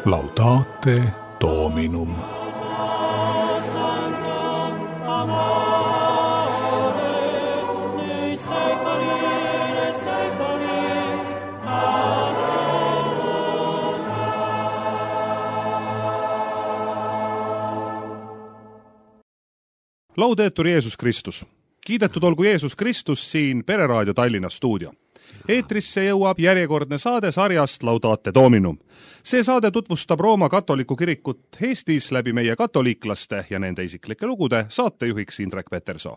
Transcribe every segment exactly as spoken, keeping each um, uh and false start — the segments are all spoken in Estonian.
Laudate Dominum. Laudetur Jeesus Kristus. Kiidetud olgu Jeesus Kristus siin Pereraadio Tallinna stuudio. Eetrisse jõuab järjekordne saade sarjast Laudate Dominum. See saade tutvustab Rooma katoliku kirikut Eestis läbi meie katoliiklaste ja nende isiklike lugude saatejuhiks Indrek Petersoo.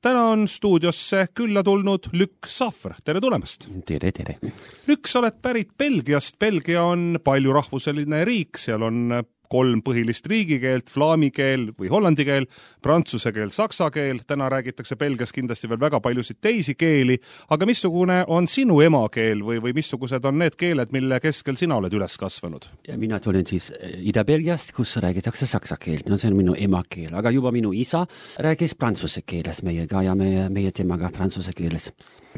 Täna on stuudiosse külla tulnud Lükk Safr. Tere tulemast! Tere, tere! Lükk, sa oled pärit Belgiast. Belgia on palju rahvuseline riik, seal on kolm põhilist riigikeelt, flaami keel või hollandi keel, prantsuse keel, saksa keel. Täna räägitakse Belgias kindlasti veel väga paljusid teisi keeli, aga missugune on sinu emakeel või, või missugused on need keeled, mille keskel sina oled üles kasvanud? Ja mina tulen siis Ida-Belgiast, kus räägitakse saksa keelt. No see on minu emakeel, aga juba minu isa räägis prantsuse keeles meiega ja meie, meie temaga prantsuse keeles.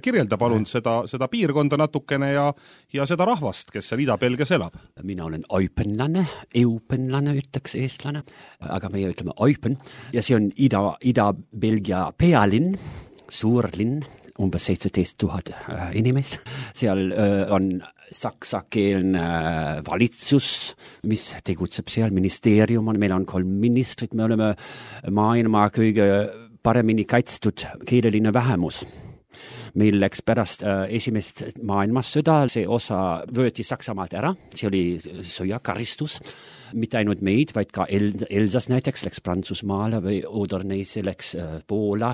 Kirjelda palun seda, seda piirkonda natukene ja, ja seda rahvast, kes seal Ida-Belgias elab. Mina olen oipenlane, eupenlane ütleks eestlane, aga meie ütleme oipen. Ja see on Ida, Ida-Belgia pealinn, suur linn, umbes seitseteist tuhat inimest. Seal on saksakeelne valitsus, mis tegutseb seal, ministeerium on, meil on kolm ministrit, me oleme maailma kõige paremini kaitstud keeleline vähemus. Meil läks pärast äh, esimest maailmassõda, see osa võeti Saksamaalt ära, see oli sõjakaristus, mitte ainult meid, vaid ka El- Elsas näiteks läks Prantsusmaale või Odorneisse läks äh, Poola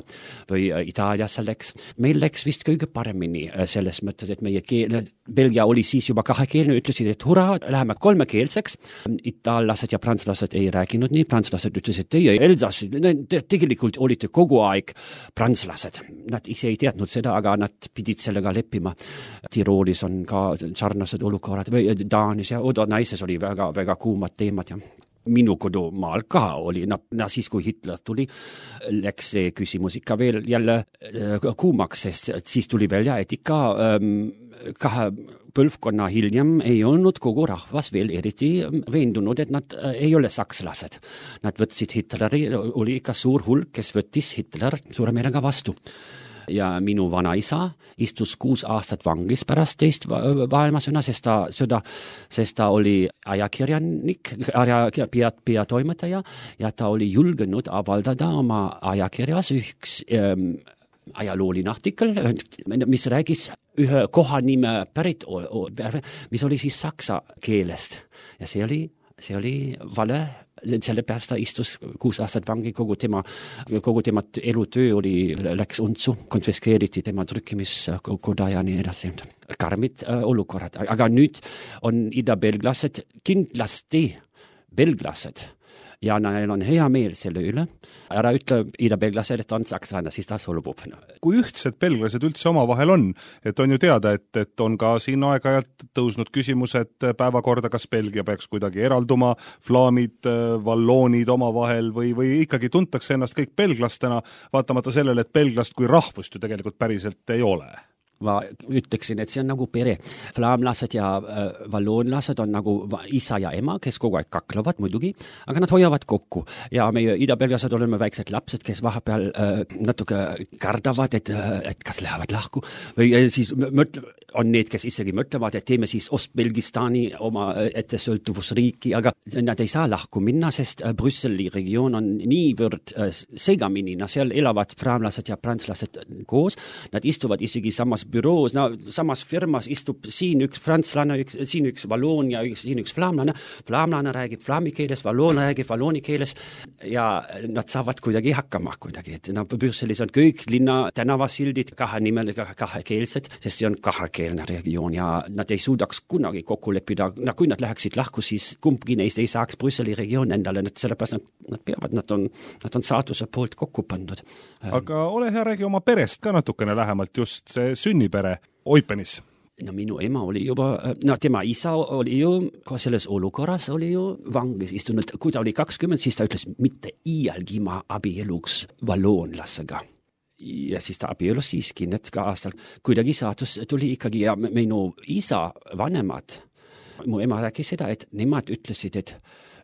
või äh, Itaaliasse läks. Meil läks vist kõige paremini äh, selles mõttes, et meie keel, Belgia oli siis juba kahekeelne, ütlesid, et hurra, läheme kolmekeelseks. Itaallased ja prantslased ei rääkinud nii, prantslased ütlesid, teie Elsas, te tegelikult olite kogu aeg prantslased. Nad ise ei teadnud seda, aga nad pidid sellega leppima. Tiroolis on ka sarnased olukorrad, või Taanis ja Odorneises oli väga, väga kuumad teemad ja minu kodumaal ka oli, no, no siis kui Hitler tuli, läks see küsimus ikka veel jälle äh, kuumaks, sest siis tuli välja, et ikka ähm, kahe põlvkonna hiljem ei olnud kogu rahvas veel eriti veendunud, et nad äh, ei ole sakslased. Nad võtsid Hitleri, oli ikka suur hulk, kes võttis Hitler suure meelega vastu. Ja minu vanaisa istus kuus aastat vangis pärast teist maailmasõda, sest ta, sõda, sest ta oli ajakirjanik, peatoimetaja ja ta oli julgenud avaldada oma ajakirjas üks ähm, ajalooline artikkel, mis räägis ühe kohanime pärit, mis oli siis saksa keelest. Ja see oli, see oli vale. Selle pärast ta istus kuus aastat vangi, kogu tema, kogu tema elutöö oli, läks untsu, konfiskeeriti tema trükkimiskoda ja nii edasi. Karmid äh, olukorrad. Aga nüüd on ida-belglased kindlasti belglased ja neil on hea meel selle üle. Ära ütle ida-belglased, et on sakslane, siis ta solvub. Kui ühtsed belglased üldse omavahel on, et on ju teada, et, et on ka siin aeg-ajalt tõusnud küsimused päevakorda, kas Belgia peaks kuidagi eralduma, flaamid, valloonid omavahel või, või ikkagi tuntakse ennast kõik belglastena, vaatamata sellele, et belglast kui rahvust ju tegelikult päriselt ei ole. Ma ütleksin, et see on nagu pere. Flaamlased ja äh, valloonlased on nagu isa ja ema, kes kogu aeg kaklevad muidugi, aga nad hoiavad kokku. Ja meie ida-belgased oleme väiksed lapsed, kes vahepeal äh, natuke kardavad, et, äh, et kas lähevad lahku. Või äh, siis mõtle, on need, kes isegi mõtlevad, et teeme siis Ost-Belgistani oma ette sõltuvusriiki, aga nad ei saa lahku minna, sest äh, Brüsseli regioon on niivõrd äh, segamini. No, seal elavad flaamlased ja prantslased koos. Nad istuvad isegi samas büroos, no samas firmas istub siin üks prantslane, üks, siin üks valloon ja üks, siin üks flaamlane. Flaamlane räägib flaami keeles, valloon räägib vallooni keeles ja nad saavad kuidagi hakkama kuidagi. Et, no, Brüsselis on kõik linna tänavasildid kahe nimeliga kahekeelsed, sest see on kahekeelne regioon ja nad ei suudaks kunagi kokku leppida. No, kui nad läheksid lahku, siis kumbki neist ei saaks Brüsseli regioon endale, sellepärast nad, nad peavad, nad on, nad on saatuse poolt kokku pandud. Aga ole hea, räägi oma perest ka natukene lähemalt, just see sünnipere Oipenis. No minu ema oli juba, no tema isa oli ju, selles olukorras oli ju vangis istunud, kui ta oli kakskümmend, siis ta ütles, mitte iialgi ma abieluks valloonlasega. Ja siis ta abielus siiski need ka aastal. Kuidagi saatus tuli ikkagi ja minu isa vanemad mu ema rääkis seda, et nemad ütlesid, et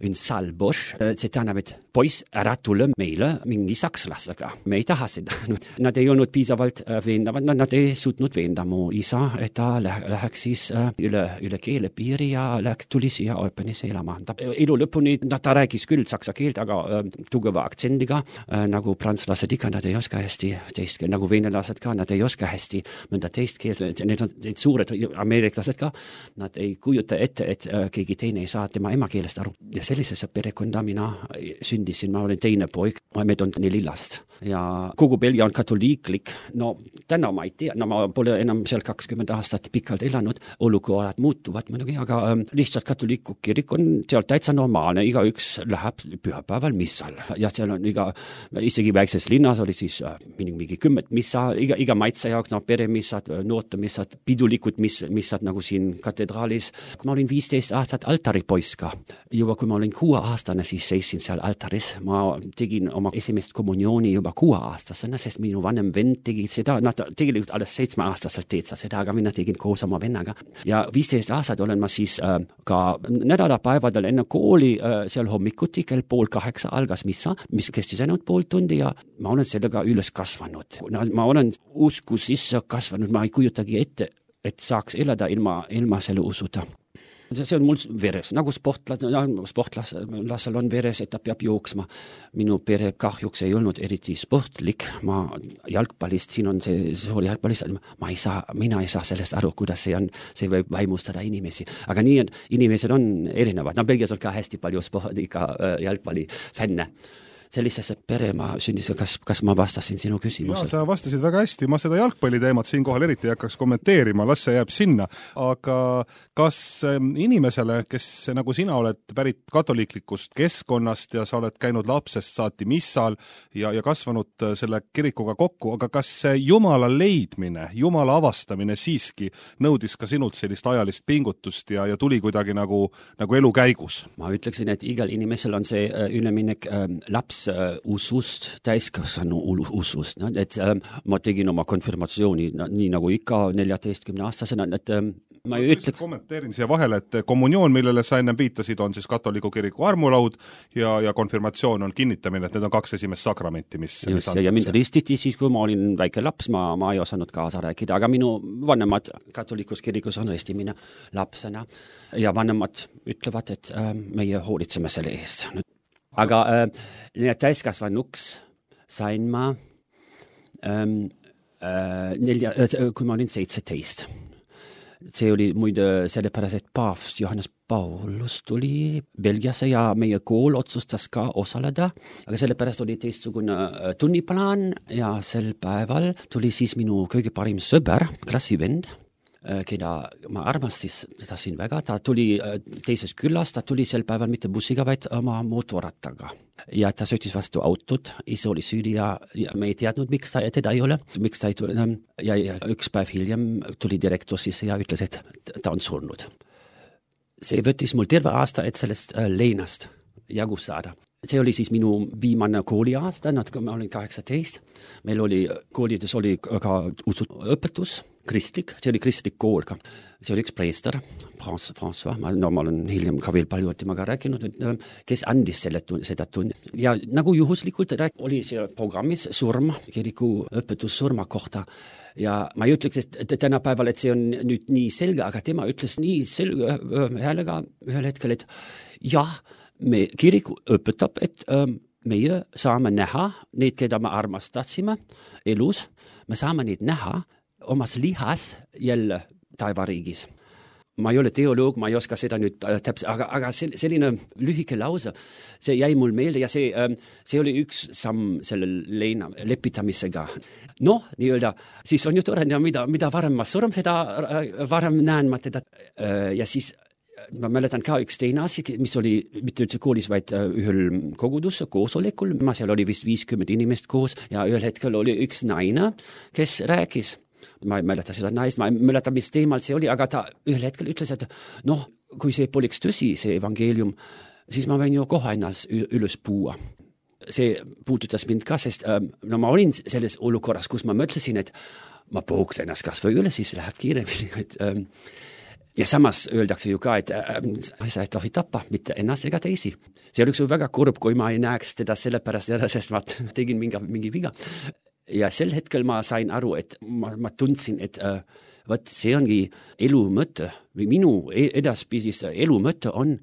un salboš, see tähendab, et poiss, ära tule meile mingi sakslasega. Me ei taha seda. Nad ei olnud piisavalt veendavad, nad ei suutnud veenda mu isa, et ta läheks siis üle, üle keele piiri ja läheks, tuli siia Eupenisse elama. Ta, elu lõpuni ta rääkis küll saksa keelt, aga äh, tugeva aktsendiga, äh, nagu prantslased ikka, nad ei oska hästi teist keelt, nagu venelased ka, nad ei oska hästi mõnda teist keelt, need on need suured ameeriklased ka, nad ei kujuta ette, et äh, keegi teine ei saa tema emakeelest aru. Ja sellisesse perekonda mina sündisin, ma olin teine poik, meid on neli last ja kogu Belgia on katoliiklik, no täna ma ei tea, no ma pole enam seal kakskümmend aastat pikalt elanud, olukorrad muutuvad muidugi, aga ähm, lihtsalt katoliiku kirik on seal täitsa normaalne, igaüks läheb pühapäeval missal ja seal on iga, isegi väikses linnas oli siis äh, mingi kümmet missa, iga, iga maitse jaoks, no peremissad, noortemissad, pidulikud miss, missad nagu siin katedraalis. Kui ma olin viisteist aastat altaripoiss ka, juba kui ma olin kuue aastane, siis seisin seal altaris. Ma tegin oma esimest kommuniooni juba kuue aastasena, sest minu vanem vend tegi seda, nad tegelikult alles seitsme aastaselt teed sa seda, aga mina tegin koos oma vennaga. Ja viisteist aastat olen ma siis äh, ka nädalapäevadel enne kooli äh, seal hommikuti, kell pool kaheksa algas missa, mis kestis ainult pool tundi ja ma olen sellega üles kasvanud. Ma olen usku sisse kasvanud, ma ei kujutagi ette, et saaks elada ilma, ilma selle usuta. See on mul veres, nagu sportlas, sportlasel on veres, et ta peab jooksma. Minu pere kahjuks ei olnud eriti sportlik, ma jalgpallist, siin on see suur jalgpallist, ma ei saa, mina ei saa sellest aru, kuidas see on, see võib vaimustada inimesi. Aga nii, et inimesed on erinevad, no Belgias on ka hästi palju spordiga jalgpalli fänne. Sellisesse pere ma sündis, kas, kas ma vastasin sinu küsimusele? Ja, sa vastasid väga hästi. Ma seda jalgpalliteemat siin kohal eriti ei hakkaks kommenteerima, las see jääb sinna. Aga kas inimesele, kes nagu sina oled pärit katoliiklikust keskkonnast ja sa oled käinud lapsest saati missal ja, ja kasvanud selle kirikuga kokku, aga kas see Jumala leidmine, Jumala avastamine siiski nõudis ka sinult sellist ajalist pingutust ja, ja tuli kuidagi nagu, nagu elu käigus? Ma ütleksin, et igal inimesel on see üleminek äh, laps usust, täiskasvanu usust, no, et äh, ma tegin oma konfirmatsiooni no, nii nagu ikka neljateistkümne aastasena, et äh, ma ei ütleks... Kommenteerin siia vahele, et kommunioon, millele sa enne viitasid, on siis katoliku kiriku armulaud ja, ja konfirmatsioon on kinnitamine, et need on kaks esimest sakramenti, mis... Just, mis ja, ja mind ristiti siis, kui ma olin väike laps, ma, ma ei osanud kaasa rääkida, aga minu vanemad katolikus kirikus on ristimine lapsena ja vanemad ütlevad, et äh, meie hoolitseme selle eest. Aga äh, täiskasvanuks sain ma ähm, äh, nelja, äh, kui ma olin seitseteist. See oli muide sellepärast, et paavst Johannes Paulus tuli Belgiasse ja meie kool otsustas ka osaleda, aga sellepärast oli teistsugune tunniplaan ja sel päeval tuli siis minu kõige parim sõber, klassivend, keda ma armastis teda siin väga, ta tuli teises külas, ta tuli sel päeval mitte bussiga, vaid oma motorrattaga. Ja ta sõitis vastu autot, ise oli süüdi ja, ja me ei teadnud, miks ta teda ei ole, miks ta ei tule. Ja, ja üks päev hiljem tuli direktor sisse ja ütles, et ta on surnud. See võttis mul terve aasta, et sellest leinast jagu saada. See oli siis minu viimane kooliaasta, ma olin kaheksateist. Meil oli, koolides oli ka õpetus, kristlik, see oli kristlik kool ka. See oli üks preester, François, ma, no, ma olen hiljem ka veel palju temaga rääkinud, kes andis selle tun, seda tunne. Ja nagu juhuslikult rääk, oli see programmis surm, kiriku õpetus surma kohta. Ja ma ei ütleks, et tänapäeval, et see on nüüd nii selge, aga tema ütles nii selge häälega ühel hetkel, et jah, me kirik õpetab, et ähm, meie saame näha neid, keda me armastatsime elus, me saame neid näha omas lihas jälle taevariigis. Ma ei ole teoloog, ma ei oska seda nüüd täpselt, aga, aga selline lühike lause, see jäi mul meelde ja see, see oli üks samm selle leina lepitamisega. Noh, nii-öelda, siis on ju tore, mida, mida varem ma surm, seda varem näen ma teda. Ja siis ma mäletan ka üks teine asi, mis oli mitte üldse koolis, vaid ühel kogudus, koosolekul. Ma seal oli vist viiskümmend inimest koos ja ühel hetkel oli üks naine, kes rääkis. Ma ei mäleta seda naist, ma ei mäleta, mis teemal see oli, aga ta ühel hetkel ütles, et noh, kui see poleks tõsi, see evangelium, siis ma võin ju kohe ennast üles puua. See puudutas mind ka, sest no, ma olin selles olukorras, kus ma mõtlesin, et ma puhuks ennast kas või üle, siis läheb kiiremini. Et, Ja samas öeldakse ju ka, et äh, sa ei tohi tappa mitte ennast ega teisi. See oleks ju väga kurb, kui ma ei näeks teda sellepärast ära, sest ma tegin mingi, mingi viga. Ja sel hetkel ma sain aru, et ma, ma tundsin, et äh, võt, see ongi elu mõte või minu edaspidis elu mõte on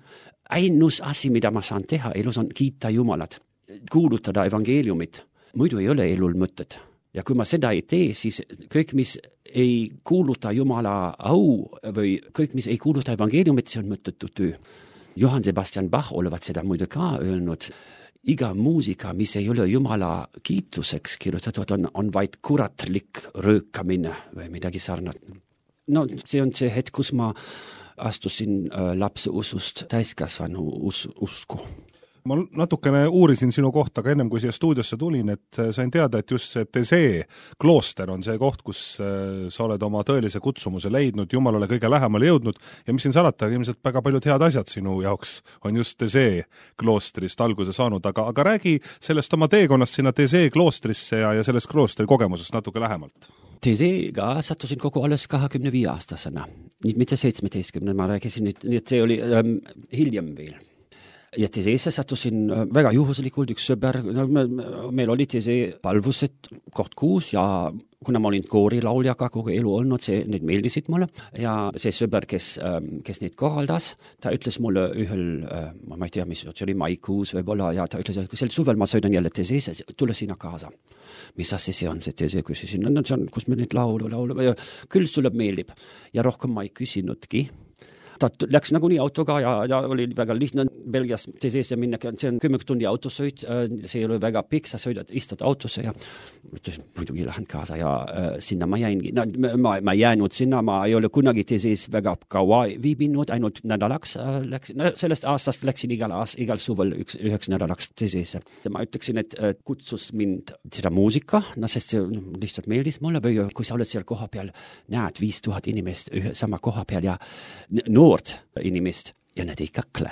ainus asi, mida ma saan teha elus on kiita Jumalat, kuulutada evangeeliumit. Muidu ei ole elul mõtet. Ja kui ma seda ei tee, siis kõik, mis ei kuuluta Jumala au või kõik, mis ei kuuluta evangeeliumit, see on mõttetu töö. Johann Sebastian Bach olevat seda muide ka öelnud. Iga muusika, mis ei ole Jumala kiituseks kirjutatud, on, on vaid kuratlik röökamine või midagi sarnat. No see on see hetk, kus ma astusin äh, lapse usust täiskasvanu us, usku. Ma natukene uurisin sinu kohta ka ennem, kui siia stuudiosse tulin, et sain teada, et just see Thésée klooster on see koht, kus sa oled oma tõelise kutsumuse leidnud, Jumalale kõige lähemale jõudnud ja mis siin salata, ilmselt väga paljud head asjad sinu jaoks on just Thésée kloostrist alguse saanud, aga, aga räägi sellest oma teekonnast sinna Thésée kloostrisse ja, ja sellest kloostri kogemusest natuke lähemalt. Theséega sattusin kogu alles kahekümne viie aastasena, mitte seitsmeteistkümne, ma rääkisin nüüd, nii et see oli ähm, hiljem veel. Ja Theséesse sattusin väga juhuslikult üks sõber, meil oli Thésée palvused koht kuus ja kuna ma olin koorilauljaga kogu elu olnud, see, need meeldisid mulle ja see sõber, kes, kes neid korraldas, ta ütles mulle ühel, ma ei tea, mis, see oli maikuus võib-olla ja ta ütles, et sel suvel ma sõidan jälle Theséesse, tule sinna kaasa. Mis asja see on see Thésée, küsisin, no see on, kus me neid laulu, laulu, küll sulle meeldib ja rohkem ma ei küsinudki. Ta läks nagunii autoga ja, ja oli väga lihtne Belgias Theséesse minna, see on kümme tundi autosõit, see ei ole väga pikk, sa sõidad, istud autosse ja muidugi lähen kaasa ja äh, sinna ma jäingi. No, ma, ma jäänud sinna, ma ei ole kunagi Thésées väga kaua viibinud, ainult nädalaks äh, läksin, no, sellest aastast läksin igal, aast, igal suvel üks, üheks nädalaks Thésesse. Ma ütleksin, et äh, kutsus mind seda muusika, no sest see lihtsalt meeldis mulle või kui sa oled seal koha peal, näed viis tuhat inimest ühe sama koha peal ja noort inimest ja need ei kakle.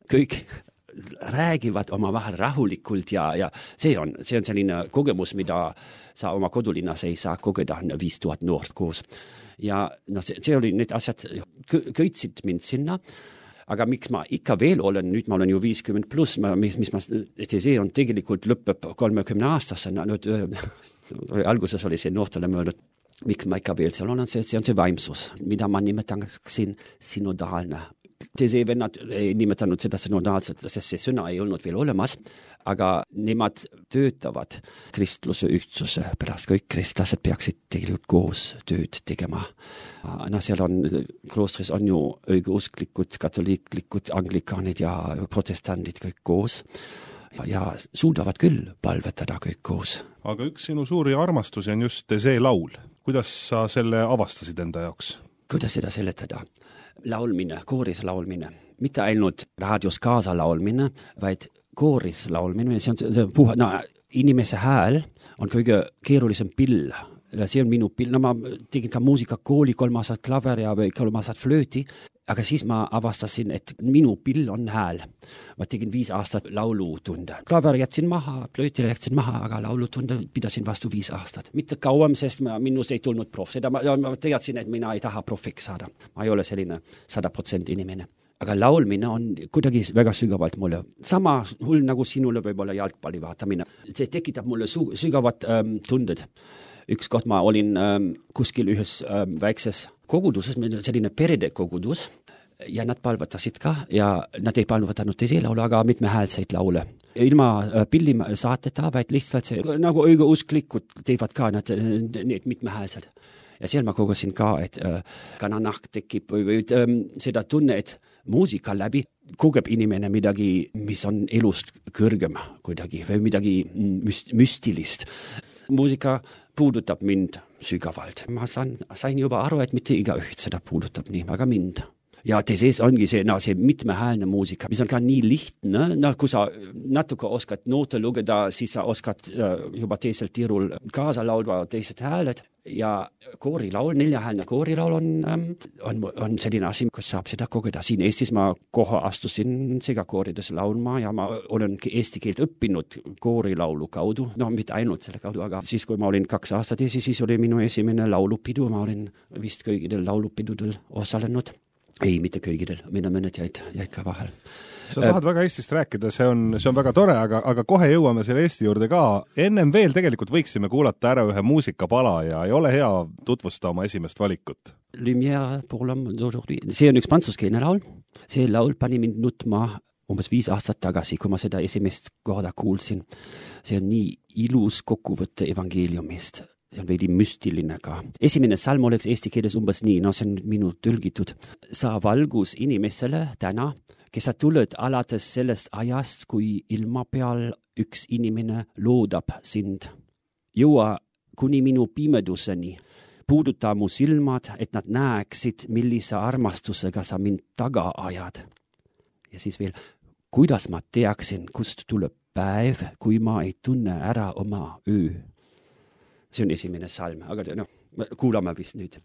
Kõik räägivad oma vahel rahulikult ja, ja see on, see on selline kogemus, mida sa oma kodulinnas ei saa kogeda viis tuhat noort koos. Ja no, see, see oli need asjad, köitsid mind sinna, aga miks ma ikka veel olen, nüüd ma olen ju viiskümmend pluss, mis, mis ma, Thésée on tegelikult lõpeb kolmekümne aastasena, nüüd alguses oli see noortele mõeldud, miks ma ikka veel seal olen, see, see on see vaimsus, mida ma nimetaksin synodaalne. Thésée vennad ei nimetanud seda synodaalselt, sest see sõna ei olnud veel olemas, aga nemad töötavad kristluse ühtsuse pärast, kõik kristlased peaksid tegelikult koos tööd tegema. No seal on, kloostris on ju õigeusklikud, katoliiklikud, anglikaanid ja protestandid kõik koos. Ja suudavad küll palvetada kõik koos. Aga üks sinu suuri armastusi on just Thésée laul. Kuidas sa selle avastasid enda jaoks? Kuidas seda seletada? Laulmine, kooris laulmine. Mitte ainult raadios kaasa laulmine, vaid kooris laulmine. See on see puha, no, inimese hääl on kõige keerulisem pill. See on minu pill. No, ma tegin ka muusikakooli kolm aastat klaver ja kolm aastat flööti. Aga siis ma avastasin, et minu pill on hääl. Ma tegin viis aastat laulutunde. Klaver jätsin maha, flöötile jätsin maha, aga laulutunde pidasin vastu viis aastat. Mitte kauem, sest ma, minust ei tulnud prof. Seda ma, ma teadsin, et mina ei taha profiks saada. Ma ei ole selline sada protsenti inimene. Aga laulmine on kuidagi väga sügavalt mulle. Sama hull nagu sinule võib-olla jalgpalli vaatamine. See tekitab mulle su- sügavad ähm, tunded. Üks kord ma olin ähm, kuskil ühes ähm, väikses koguduses, selline perede kogudus ja nad palvetasid ka ja nad ei palvetanud Thésée laule, aga mitmehäälseid laule. Ilma äh, pilli saateta, vaid lihtsalt see, nagu õigeusklikud teevad ka nad, need mitmehäälsed. Ja seal ma kogesin ka, et äh, kananaht tekib või, või äh, seda tunne, et muusika läbi kogeb inimene midagi, mis on elust kõrgem kuidagi või midagi müst- müstilist. Muusika puudutab mind sügavalt. Ma saan, sain juba aru, et mitte igaüht seda puudutab nii, aga mind. Ja Thésées ongi see, no, see mitmehäälne muusika, mis on ka nii lihtne, no, kui sa natuke oskad noote lugeda, siis sa oskad uh, juba teisel tiirul kaasa laulva teised hääled ja koorilaul, neljahäälne koorilaul on, um, on, on selline asi, kus saab seda kogeda. Siin Eestis ma kohe astusin segakoorides laulma ja ma olen eesti keelt õppinud koorilaulu kaudu, no mitte ainult selle kaudu, aga siis, kui ma olin kaks aastat ees, siis oli minu esimene laulupidu, ma olin vist kõigidel laulupidudel osalenud. Ei, mitte kõigidel, meil on mõned jäid, jäid ka vahel. Sa tahad väga Eestist rääkida, see on, see on väga tore, aga, aga kohe jõuame selle Eesti juurde ka. Ennem veel tegelikult võiksime kuulata ära ühe muusikapala ja ei ole hea tutvusta oma esimest valikut. Lumière pour l'homme d'aujourd'hui. See on üks prantslaskeelne laul. See laul pani mind nutma umbes viis aastat tagasi, kui ma seda esimest korda kuulsin. See on nii ilus kokkuvõtte evangeeliumist. See on veidi müstiline ka. Esimene salm oleks eesti keeles umbes nii, no see on minu tõlgitud. Sa valgus inimesele täna, kes sa tuled alates sellest ajast, kui ilma peal üks inimene loodab sind. Jõua kuni minu pimeduseni. Puuduta mu silmad, et nad näeksid, millise armastusega sa mind taga ajad. Ja siis veel, kuidas ma teaksin, kust tuleb päev, kui ma ei tunne ära oma öö. See on esimene salm, aga no, kuulame vist nüüd.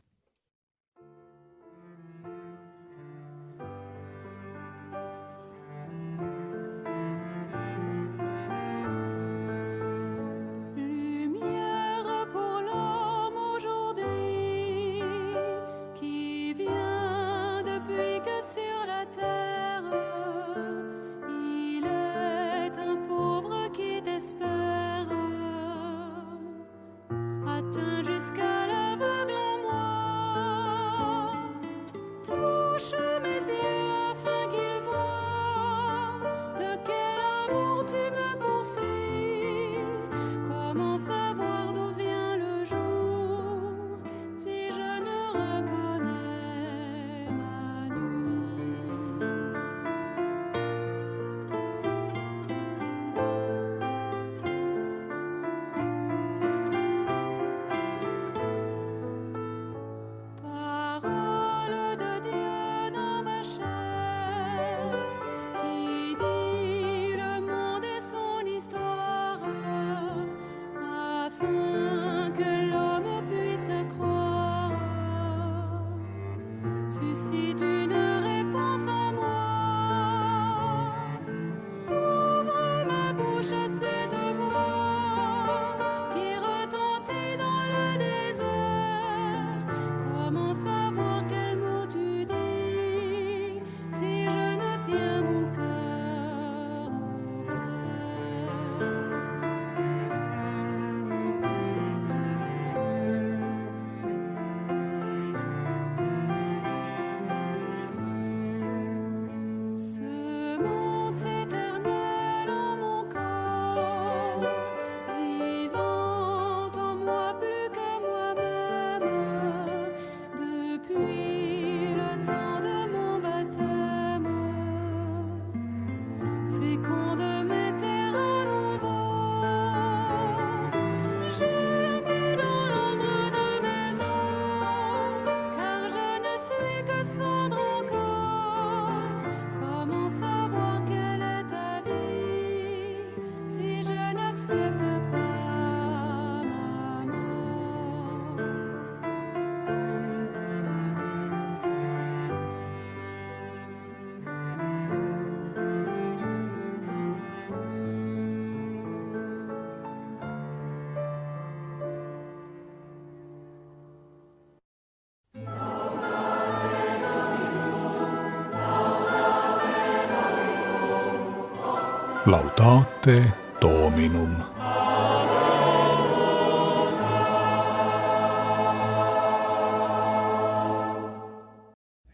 Laudate Dominum.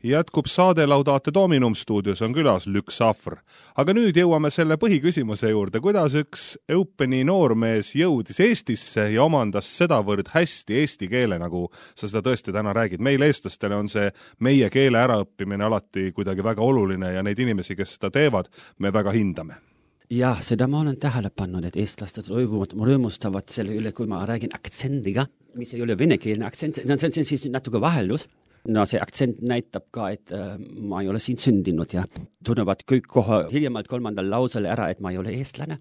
Jätkub saade Laudate Dominum, stuudios on külas Lük Safr. Aga nüüd jõuame selle põhiküsimuse juurde, kuidas üks Eupeni noormees jõudis Eestisse ja omandas sedavõrd hästi eesti keele, nagu sa seda tõesti täna räägid. Meil eestlastele on see meie keele äraõppimine alati kuidagi väga oluline ja neid inimesi, kes seda teevad, me väga hindame. Jah, seda ma olen tähele pannud, et eestlased rõõmustavad selle üle, kui ma räägin aktsendiga, mis ei ole venekeelne aktsent, no see on siis natuke vahelus. No see aktsent näitab ka, et äh, ma ei ole siin sündinud ja tunnevad kõik kohe hiljemalt kolmandal lausele ära, et ma ei ole eestlane.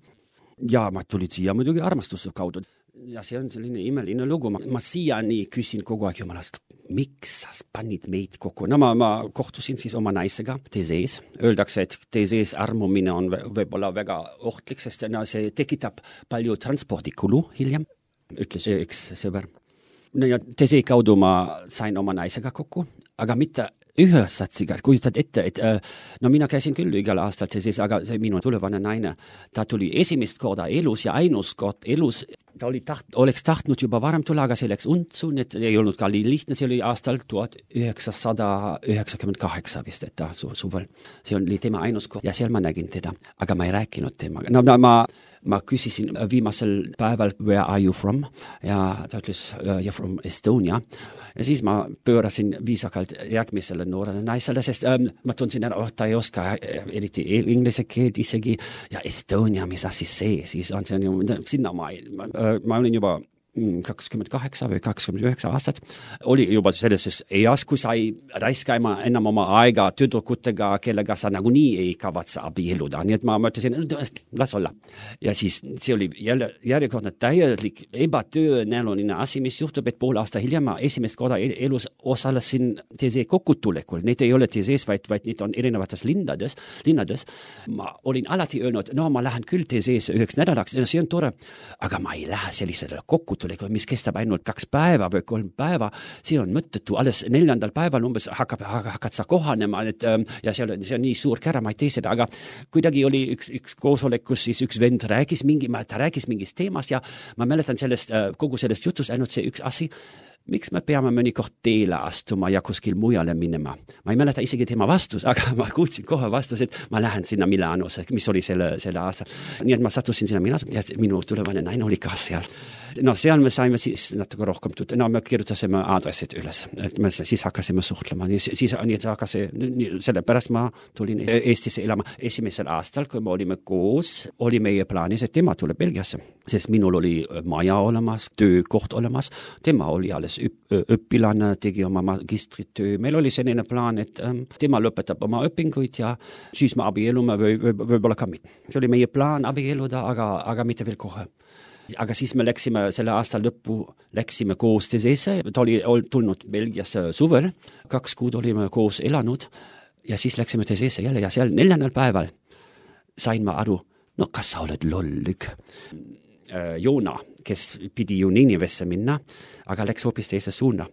Ja ma tulid siia muidugi armastuse kaudu. Ja see on selline imeline lugu. Ma, ma siiani küsin kogu aeg jumalast, miks sa panid meid kokku? No ma, ma kohtusin siis oma naisega Tesees. Öeldakse, et Tesees armumine on võib-olla väga ohtlik, sest no, see tekitab palju transpordikulu hiljem, ütles üks sõber. No ja Tesee kaudu ma sain oma naisega kokku, aga mitte ühesatsiga, kujutad ette, et no mina käisin küll igal aastal siis, aga see minu tulevane naine, ta tuli esimest korda elus ja ainus kord elus, ta oli taht, oleks tahtnud juba varem tulla, aga see läks untsu, et ei olnud ka lihtne, see oli aastal tuhat üheksasada üheksakümmend kaheksa vist, et ta su, suvel. See oli tema ainus kord ja seal ma nägin teda, aga ma ei rääkinud temaga. No, no ma ma küsisin viimasel päeval, where are you from? Ja ta ütles, you're from Estonia. Ja siis ma pöörasin viisakalt järgmisele noorele naisele, sest ähm, ma tundsin, et oh, ta ei oska eriti inglise keelt isegi. Ja Estonia, mis asi see? Siis on see ju, sinna ma, ma, ma olin juba kakskümmend kaheksa või kakskümmend üheksa aastat, oli juba selles eas, kui sa ei raiska enam oma aega tüdrukutega, kellega sa nagunii ei kavatse abieluda. Nii et ma mõtlesin, las olla. Ja siis see oli jälle, järjekordne täielik ebatõenäoline asi, mis juhtub, et pool aasta hiljem ma esimest korda elus osalesin T Z kokutulekul. Need ei ole T Z-s, vaid, vaid need on erinevates linnades, linnades. Ma olin alati öelnud, no ma lähen küll T Z-s üheks nädalaks, see on tore, aga ma ei lähe sellisele kokutulekul, mis kestab ainult kaks päeva või kolm päeva, see on mõttetu, alles neljandal päeval umbes hakkab, hakkad sa kohanema, et, ja see on, see on nii suur kära, ma ei tee seda, aga kuidagi oli üks, üks koosolekus, siis üks vend rääkis mingi, ta rääkis mingist teemast ja ma mäletan sellest, kogu sellest jutus ainult see üks asi, miks me peame mõnikord teele astuma ja kuskil mujale minema. Ma ei mäleta isegi tema vastus, aga ma kuulsin kohe vastus, et ma lähen sinna Milanosse, mis oli selle, selle aasta. Nii et ma sattusin sinna Milanosse ja minu tulevane naine oli ka seal. No seal me saime siis natuke rohkem tulla. No me kirjutasime aadressid üles, et me siis hakkasime suhtlema. Siis, siis nii, hakkasi, sellepärast ma tulin Eestisse elama esimesel aastal, kui me olime koos, oli meie plaanis, et tema tuleb Belgiasse, sest minul oli maja olemas, töökoht olemas, tema oli alles õppilane, tegi oma magistritöö. Meil oli selline plaan, et ähm, tema lõpetab oma õpinguid ja siis me abielume või, või, võib-olla ka mitte. See oli meie plaan abieluda, aga, aga mitte veel kohe. Aga siis me läksime selle aasta lõppu, läksime koos T Z-sse, ta oli tulnud Belgiasse suvel, kaks kuud olime koos elanud ja siis läksime T Z-sse jälle ja seal neljandal päeval sain ma aru, no kas sa oled lollük? Joona, kes pidi ju Ninivesse minna, aga läks hoopis teise suuna.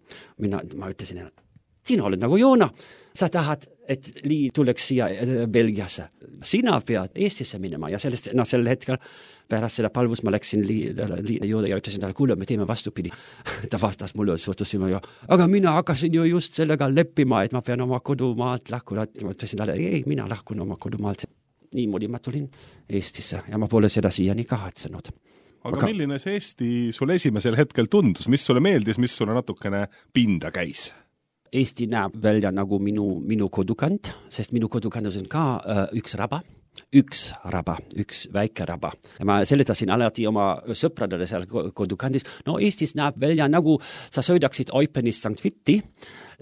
Mina, ma ütlesin, sina oled nagu Joona, sa tahad, et Lii tuleks siia Belgiasse. Sina pead Eestisse minema ja sellest, no sel hetkel pärast seda palvus ma läksin Lii, Lii juurde ja ütlesin talle, kuule, me teeme vastupidi. Ta vastas mulle, suhtusime ja, aga mina hakkasin ju just sellega leppima, et ma pean oma kodumaalt lahkuna. Ma ütlesin talle, ei, mina lahkun oma kodumaalt. Niimoodi ma tulin Eestisse ja ma pole seda siiani kahatsenud. Aga, aga milline see Eesti sulle esimesel hetkel tundus? Mis sulle meeldis, mis sulle natukene pinda käis? Eesti näeb välja nagu minu, minu kodukant, sest minu kodukandus on ka uh, üks raba, üks raba, üks väike raba. Ja ma seletasin alati oma sõpradele seal kodukandis. No Eestis näeb välja nagu sa sõidaksid Eupenist Sankt Vitti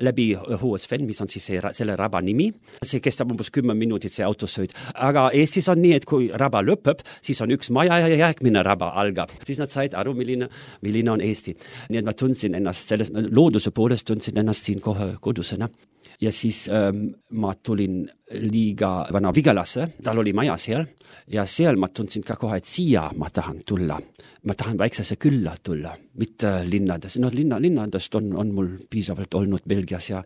läbi Hohesven, mis on siis see, selle raba nimi. See kestab umbes kümme minutit see autosõid. Aga Eestis on nii, et kui raba lõpeb, siis on üks maja ja järgmine raba algab. Siis nad said aru, milline, milline on Eesti. Nii et ma tundsin ennast, selles looduse poolest tundsin ennast siin kohe kodusena. Ja siis ähm, ma tulin liiga vana Vigalasse, tal oli maja seal, ja seal ma tundsin ka kohe, et siia ma tahan tulla. Ma tahan väiksesse külla tulla, mitte linnades. No linna, linnadest on, on mul piisavalt olnud Belgias ja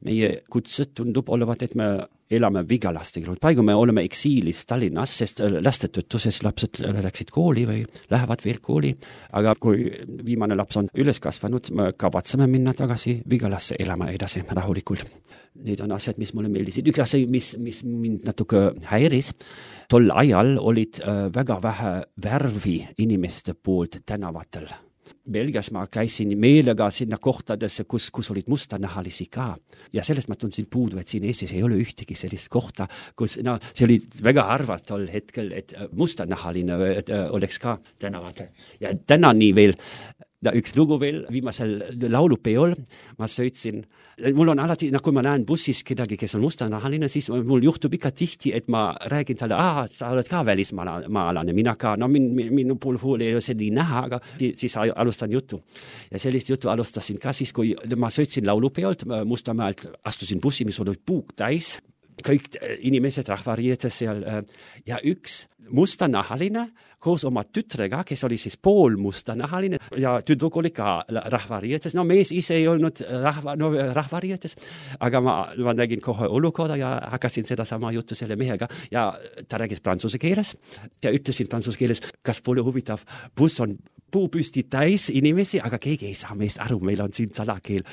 meie kutsed tundub olevat, et me elame Vigalaste. Praegu me oleme eksiilis Tallinnas, sest lastetõttu, sest lapsed läksid kooli või lähevad veel kooli. Aga kui viimane laps on üles kasvanud, me kavatseme minna tagasi Vigalasse elama edasi rahulikult. Need on asjad, mis mulle meeldisid. Üks asi, mis, mis mind natuke häiris, tol ajal olid äh, väga vähe värvi inimeste poolt tänavatel. Belgias ma käisin meelega sinna kohtadesse, kus, kus olid mustanahalisi ka. Ja sellest ma tundsin puudu, et siin Eestis ei ole ühtegi sellist kohta, kus no, see oli väga harva tol hetkel, et mustanahaline et, uh, oleks ka tänavatel. Ja tänani veel, no, üks lugu veel, viimasel laulupeol ma sõitsin. Mul on alati, no, kui ma näen bussis kedagi, kes on mustanahaline, siis mul juhtub ikka tihti, et ma räägin talle, ah, sa oled ka välismaalane, mina ka, no min, min, minu puhul ei ole see nii näha, aga siis alustan jutu. Ja sellist jutu alustasin ka siis, kui ma sõitsin laulupeolt, Mustamäelt astusin bussi, mis oli puuk täis, kõik inimesed rahvariietes seal ja üks mustanahaline koos oma tütrega, kes oli siis poolmusta nahaline ja tüdruk oli ka rahvariietes. No mees ise ei olnud rahva, no, rahvariietes, aga ma, ma nägin kohe olukorda ja hakkasin seda sama juttu selle mehega ja ta räägis prantsuse keeles ja ütlesin prantsuse keeles, kas pole huvitav, buss on puupüsti täis inimesi, aga keegi ei saa meist aru, meil on siin salakeel.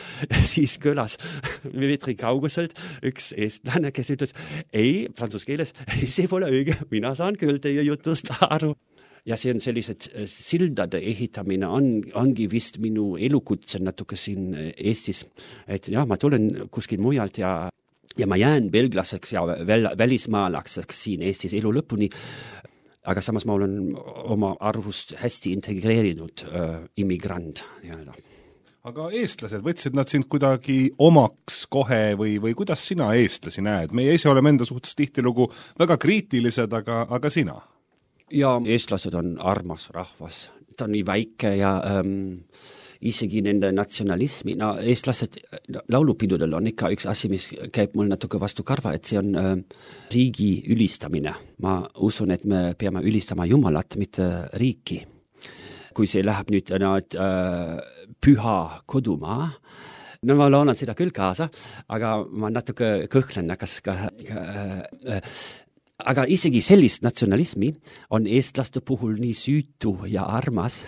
Siis kõlas meetri kauguselt üks eestlane, kes ütles, ei, prantsuse keeles, ei, see pole õige, mina saan küll teie jutust aru. Ja see on sellised sildade ehitamine on, ongi vist minu elukutse natuke siin Eestis. Et jah, ma tulen kuskil mujalt ja ja ma jään belglaseks ja väl, välismaalakseks siin Eestis elu lõpuni. Aga samas ma olen oma arvust hästi integreerinud äh, immigrant. Jälle. Aga eestlased, võtsid nad sind kuidagi omaks kohe või, või kuidas sina eestlasi näed? Meie ise oleme enda suhtes tihtilugu väga kriitilised, aga, aga sina? Ja eestlased on armas rahvas. Ta on nii väike ja ähm, isegi nende natsionalismi. No, eestlased laulupidudel on ikka üks asi, mis käib mul natuke vastu karva, et see on äh, riigi ülistamine. Ma usun, et me peame ülistama Jumalat, mitte riiki. Kui see läheb nüüd no, et, äh, püha kodumaa, no ma loonan seda küll kaasa, aga ma natuke kõhklen, kas ka... Äh, äh, aga isegi sellist natsionalismi on eestlaste puhul nii süütu ja armas,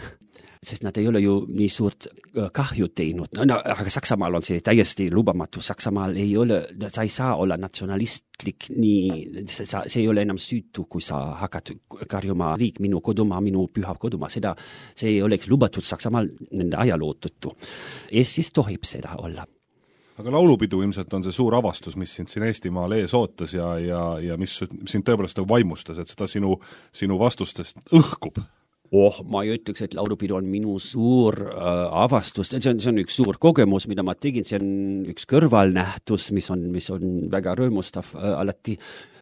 sest nad ei ole ju nii suurt kahju teinud. No, no, aga Saksamaal on see täiesti lubamatu. Saksamaal ei ole, sa ei saa olla natsionalistlik nii, sa, see ei ole enam süütu, kui sa hakkad karjuma riik, minu kodumaa, minu püha kodumaa. Seda, see ei oleks lubatud Saksamaal nende ajalootutu. Eestis tohib seda olla. Aga laulupidu ilmselt on see suur avastus, mis sind siin Eestimaal ees ootas ja, ja, ja mis sind tõepoolest vaimustas, et seda sinu, sinu vastustest õhkub. Oh, ma ei ütleks, et laulupidu on minu suur äh, avastus. See on, see on üks suur kogemus, mida ma tegin. See on üks kõrvalnähtus, mis on, mis on väga rõõmustav äh, alati.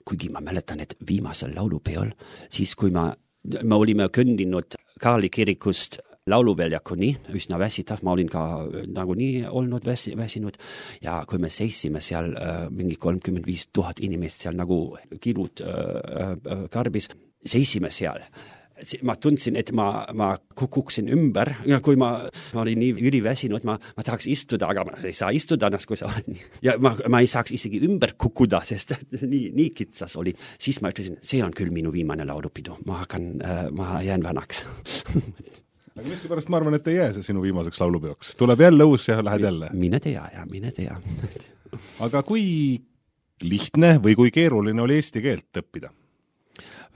Kuigi ma mäletan, et viimasel laulupeol, siis kui ma, me olime kõndinud Kaarli kirikust lauluväljakuni, üsna väsitav, ma olin ka nagunii olnud väsi, väsinud ja kui me seisime seal äh, mingi kolmkümmend viis tuhat inimest seal nagu kilud äh, äh, karbis, seisime seal. Ma tundsin, et ma, ma kukuksin ümber, ja kui ma, ma olin nii üliväsinud, ma, ma tahaks istuda, aga ma ei saa istuda ennast, kui sa oled nii. Ja ma, ma ei saaks isegi ümber kukuda, sest nii, nii kitsas oli. Siis ma ütlesin, see on küll minu viimane laulupidu, ma, hakkan, äh, ma jään vanaks. Aga miski pärast ma arvan, et ei jää see sinu viimaseks laulupeoks. Tuleb jälle uus ja lähed jälle. Mine tea ja mine tea. Aga kui lihtne või kui keeruline oli eesti keelt õppida?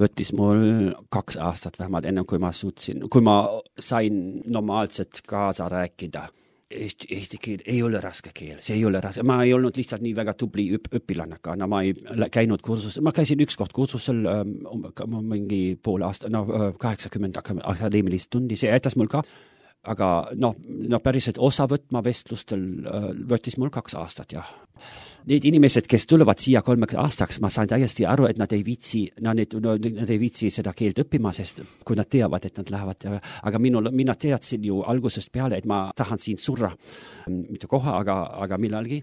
Võttis mul kaks aastat vähemalt ennem, kui ma suutsin, kui ma sain normaalselt kaasa rääkida. Eesti, eesti keel ei ole raske keel, see ei ole raske. Ma ei olnud lihtsalt nii väga tubli õp, õpilannaga, no ma ei käinud kursusel, ma käisin üks kord kursusel um, mingi pool aasta, no kaheksakümmend akadeemilist tundi, see aitas mul ka. Aga no, no päriselt osa võtma vestlustel äh, võttis mul kaks aastat, jah. Need inimesed, kes tulevad siia kolmeks aastaks, ma sain täiesti aru, et nad ei viitsi, no, need, no, nad ei viitsi seda keelt õppima, sest kui nad teavad, et nad lähevad, aga minul, mina teadsin ju algusest peale, et ma tahan siin surra, mitte koha, aga, aga millalgi.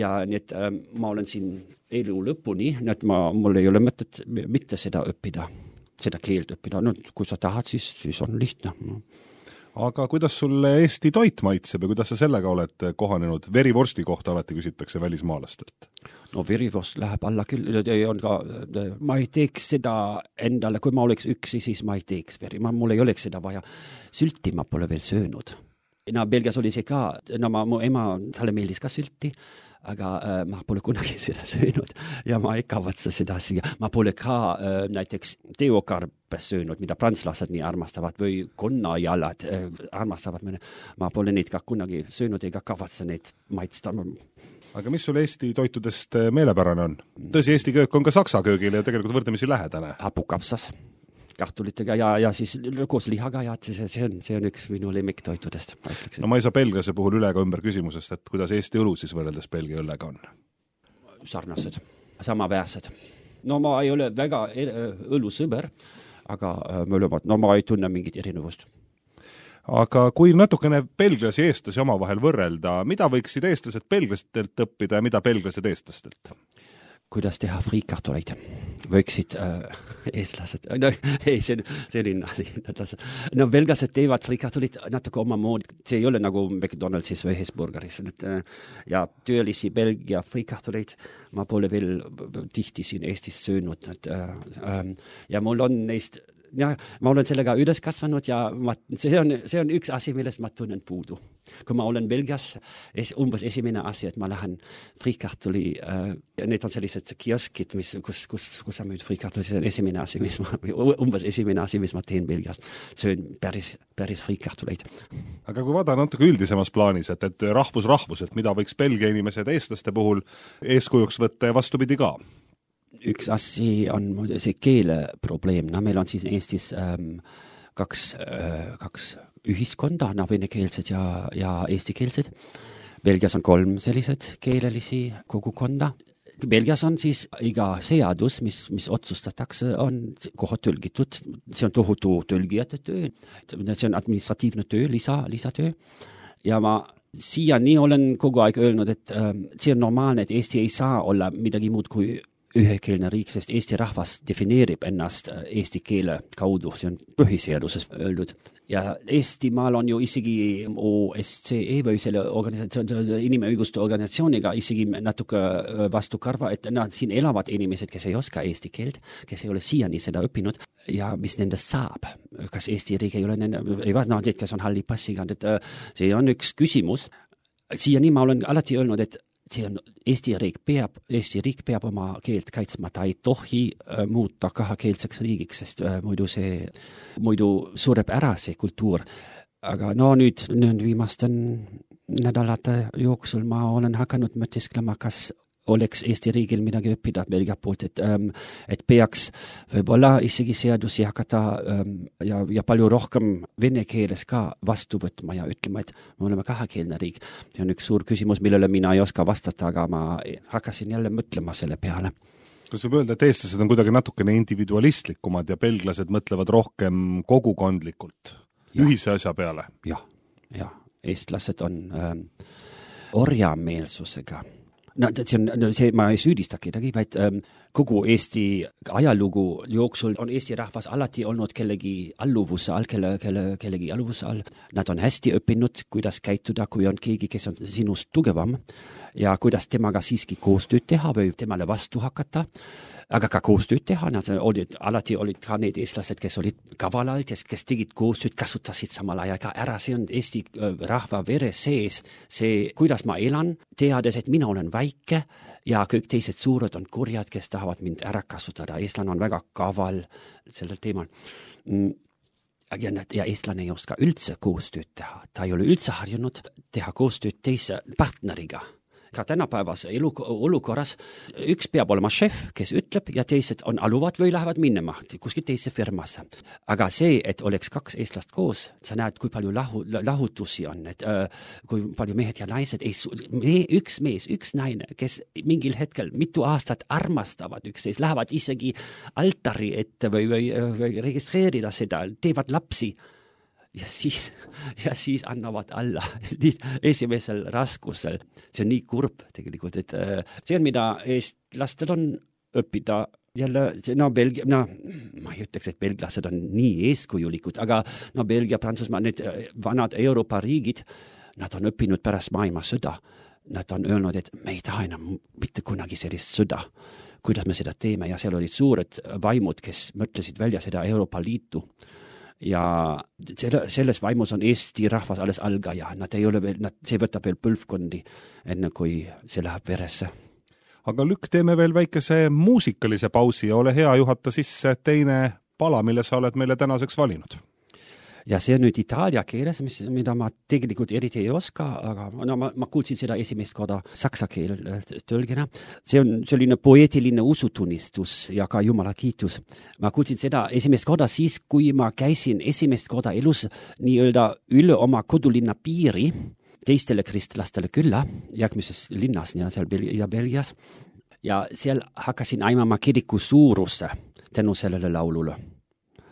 Ja need, äh, ma olen siin elu lõpuni, et ma, mul ei ole mõtet mitte seda õppida, seda keelt õppida. No, kui sa tahad, siis, siis on lihtne. Aga kuidas sulle Eesti toit maitseb ja kuidas sa sellega oled kohanenud? Verivorsti kohta alati küsitakse välismaalastelt. No verivorst läheb alla küll. On ka, ma ei teeks seda endale, kui ma oleks üksi, siis ma ei teeks veri. Ma, mul ei oleks seda vaja. Sülti ma pole veel söönud. No Belgias oli see ka, no ma, mu ema, talle meeldis ka sülti, aga äh, ma pole kunagi seda söönud ja ma ei kavatse seda süüa. Ma pole ka äh, näiteks teokarpe söönud, mida prantslased nii armastavad või konnajalad äh, armastavad. Ma pole neid ka kunagi söönud ega kavatse neid maitsta. Aga mis sul Eesti toitudest meelepärane on? Tõsi, Eesti köök on ka saksa köögile ja tegelikult võrdlemisi lähedane. Hapukapsas kartulitega ja, ja siis koos lihaga ja see, see, on, see on üks minu lemmiktoitudest. No ma ei saa belglase puhul üle ka ümber küsimusest, et kuidas Eesti õlu siis võrreldes Belgia õllega on? Sarnased, samaväärsed. No ma ei ole väga õlusõber, aga me oleme, no ma ei tunne mingit erinevust. Aga kui natukene belglasi ja eestlasi omavahel võrrelda, mida võiksid eestlased belglastelt õppida ja mida belglased eestlastelt? kuidas teha friikartuleid. Võiksid äh, eestlased, no ei, see, see oli nali. No belgased teevad friikartuleid natuke oma moodi. See ei ole nagu McDonaldsis või Hesburgeris. Äh, ja töölisi Belgia friikartuleid ma pole veel tihti siin Eestis söönud. Et, äh, äh, ja mul on neist ja ma olen sellega üles kasvanud ja ma, see, on, see on üks asi, millest ma tunnen puudu. Kui ma olen Belgias, es, umbes esimene asi, et ma lähen friikartuli, äh, need on sellised kioskid, mis, kus, kus, kus sa müüd friikartuli, see on esimene asi, mis ma, umbes esimene asi, mis ma teen Belgias. Söön päris, päris friikartuleid. Aga kui vaada natuke üldisemas plaanis, et, et rahvus-rahvus, et mida võiks Belgia inimesed eestlaste puhul eeskujuks võtta ja vastupidi ka? Üks asi on see keele probleem. No, meil on siis Eestis ähm, kaks, äh, kaks ühiskonda, no, venekeelsed ja, ja eestikeelsed. Belgias on kolm sellised keelelisi kogukonda. Belgias on siis iga seadus, mis, mis otsustatakse, on kohad tõlgitud. See on tohutu tõlgijate töö. See on administratiivne töö, lisa, lisatöö. Ja ma siiani olen kogu aeg öelnud, et ähm, see on normaalne, et Eesti ei saa olla midagi muud kui ühekeelne riik, sest Eesti rahvas defineerib ennast eesti keele kaudu, see on põhiseaduses öeldud. Ja Eestimaal on ju isegi O S C E või selle organisatsioon, inimõiguste organisatsiooniga isegi natuke vastu karva, et nad siin elavad inimesed, kes ei oska eesti keelt, kes ei ole siiani seda õppinud ja mis nendest saab. Kas Eesti riik ei ole nende, ei vaat, no, need, kes on halli passiga, et see on üks küsimus. Siiani ma olen alati öelnud, et see on Eesti riik peab, Eesti riik peab oma keelt kaitsma, ta ei tohi äh, muuta kahakeelseks riigiks, sest äh, muidu see, muidu sureb ära see kultuur. Aga no nüüd, nüüd viimasten nädalate jooksul ma olen hakanud mõtisklema, kas oleks Eesti riigil midagi õppida Belgia poolt, et, ähm, et peaks võib-olla isegi seadusi hakata ähm, ja, ja palju rohkem vene keeles ka vastu võtma ja ütlema, et me oleme kahakeelne riik. See on üks suur küsimus, millele mina ei oska vastata, aga ma hakkasin jälle mõtlema selle peale. Kas võib öelda, et eestlased on kuidagi natukene individualistlikumad ja belglased mõtlevad rohkem kogukondlikult ja. Ühise asja peale? Jah, ja. Eestlased on ähm, orjameelsusega. No, see on, no, see, ma ei süüdista kedagi, vaid ähm, kogu Eesti ajalugu jooksul on Eesti rahvas alati olnud kellegi alluvuse all, kelle, kelle, kellegi alluvuse all. Nad on hästi õppinud, kuidas käituda, kui on keegi, kes on sinust tugevam ja kuidas temaga siiski koostööd teha või temale vastu hakata. Aga ka koostööd teha, nad olid, alati olid ka need eestlased, kes olid kavalalt, kes, kes tegid koostööd, kasutasid samal ajal ka ära. See on Eesti rahva vere sees. See, kuidas ma elan, teades, et mina olen väike ja kõik teised suured on kurjad, kes tahavad mind ära kasutada. Eestlane on väga kaval sellel teemal. Ja, ja eestlane ei oska üldse koostööd teha. Ta ei ole üldse harjunud teha koostööd teise partneriga. Ka tänapäevas elu, olukorras üks peab olema šef, kes ütleb ja teised on aluvad või lähevad minema kuskil teise firmasse. Aga see, et oleks kaks eestlast koos, sa näed, kui palju lahu, lahutusi on, et äh, kui palju mehed ja naised, ei, me, üks mees, üks naine, kes mingil hetkel mitu aastat armastavad üksteist, lähevad isegi altari ette või, või, või registreerida seda, teevad lapsi. Ja siis, ja siis annavad alla esimesel raskusel. See on nii kurb tegelikult, et see on, mida eestlastel on õppida jälle, no Belgia, no ma ei ütleks, et belglased on nii eeskujulikud, aga no Belgia, Prantsusmaa, need vanad Euroopa riigid, nad on õppinud pärast maailmasõda. Nad on öelnud, et me ei taha enam mitte kunagi sellist sõda. Kuidas me seda teeme ja seal olid suured vaimud, kes mõtlesid välja seda Euroopa Liitu. Ja selles vaimus on Eesti rahvas alles algaja. Nad ei ole veel, nad, see võtab veel põlvkondi, enne kui see läheb veresse. Aga Lükk, teeme veel väikese muusikalise pausi ja ole hea juhata sisse teine pala, mille sa oled meile tänaseks valinud. Ja see on nüüd itaalia keeles, mis, mida ma tegelikult eriti ei oska, aga no, ma, ma kuulsin seda esimest korda saksa keel tõlgena. See on selline poeetiline usutunnistus ja ka Jumala kiitus. Ma kuulsin seda esimest korda siis, kui ma käisin esimest korda elus nii-öelda üle oma kodulinna piiri teistele kristlastele külla, järgmises linnas ja seal ja Belgias. Ja seal hakkasin aimama kiriku suurusse tänu sellele laulule.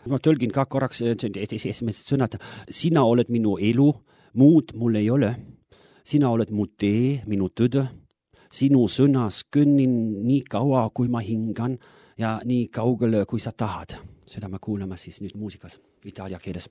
Ma tõlgin ka korraks esimesed sõnad. Sina oled minu elu, muud mul ei ole. Sina oled mu tee, minu tõde. sinu sõnas kõnnin nii kaua, kui ma hingan ja nii kaugele, kui sa tahad. Seda me kuulame siis nüüd muusikas itaalia keeles.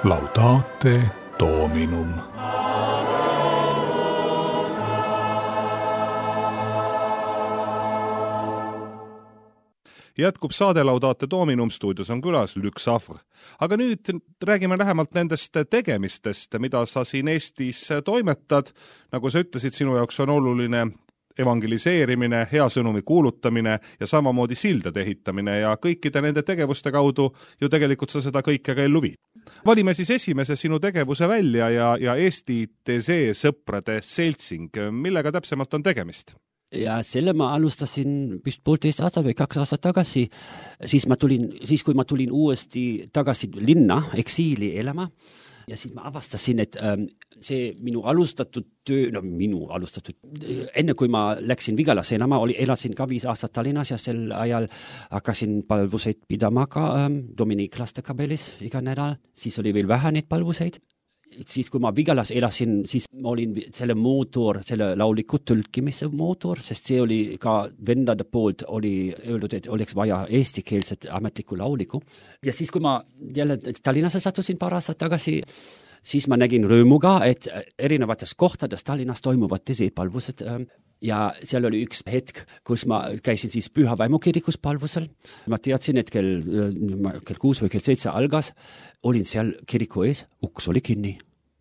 Laudate Dominum. Jätkub saade Laudate Dominum, stuudios on külas Lük Safr. Aga nüüd räägime lähemalt nendest tegemistest, mida sa siin Eestis toimetad. Nagu sa ütlesid, sinu jaoks on oluline evangeliseerimine, hea sõnumi kuulutamine ja samamoodi sildade ehitamine ja kõikide nende tegevuste kaudu ju tegelikult sa seda kõike ka ellu viid. Valime siis esimese sinu tegevuse välja ja, ja Eesti T Z sõprade seltsing. Millega täpsemalt on tegemist? Ja selle ma alustasin vist poolteist aastat või kaks aastat tagasi, siis, ma tulin, siis kui ma tulin uuesti tagasi linna, eksiili elama, ja siis ma avastasin, et ähm, see minu alustatud töö, no minu alustatud, enne kui ma läksin Vigalasse elama, oli, elasin ka viis aastat Tallinnas ja sel ajal hakkasin palvuseid pidama ka ähm, Dominiklaste kabelis iga nädal, siis oli veel vähe neid palvuseid. Siis kui ma Vigalas elasin, siis ma olin selle mootor, selle lauliku tõlkimise mootor, sest see oli ka vendade poolt oli öeldud, et oleks vaja eestikeelset ametlikku lauliku. Ja siis kui ma jälle Tallinnasse sattusin paar aastat tagasi, siis ma nägin rõõmuga, et erinevates kohtades Tallinnas toimuvad teised palvused ja seal oli üks hetk, kus ma käisin siis Püha Vaimu kirikus palvusel. Ma teadsin, et kell, kell kuus või kell seitse algas, olin seal kiriku ees, uks oli kinni,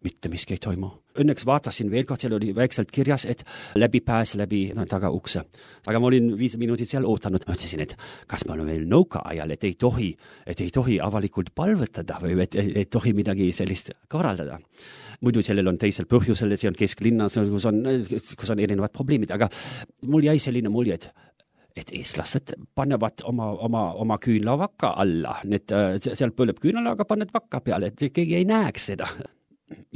mitte miski ei toimu. Õnneks vaatasin veel kord, seal oli väikselt kirjas, et läbi pääs läbi no, taga ukse. Aga ma olin viis minutit seal ootanud. Ma ütlesin, et kas ma olen veel nõuka ajal, et ei tohi, et ei tohi avalikult palvetada või et ei, ei tohi midagi sellist korraldada. Muidu sellel on teisel põhjusel, see on kesklinnas, kus on, kus on erinevad probleemid, aga mul jäi selline mulje, et et eestlased panevad oma, oma, oma küünlavakka alla, need, seal põleb küünalaga, paned vakka peale, et keegi ei näeks seda.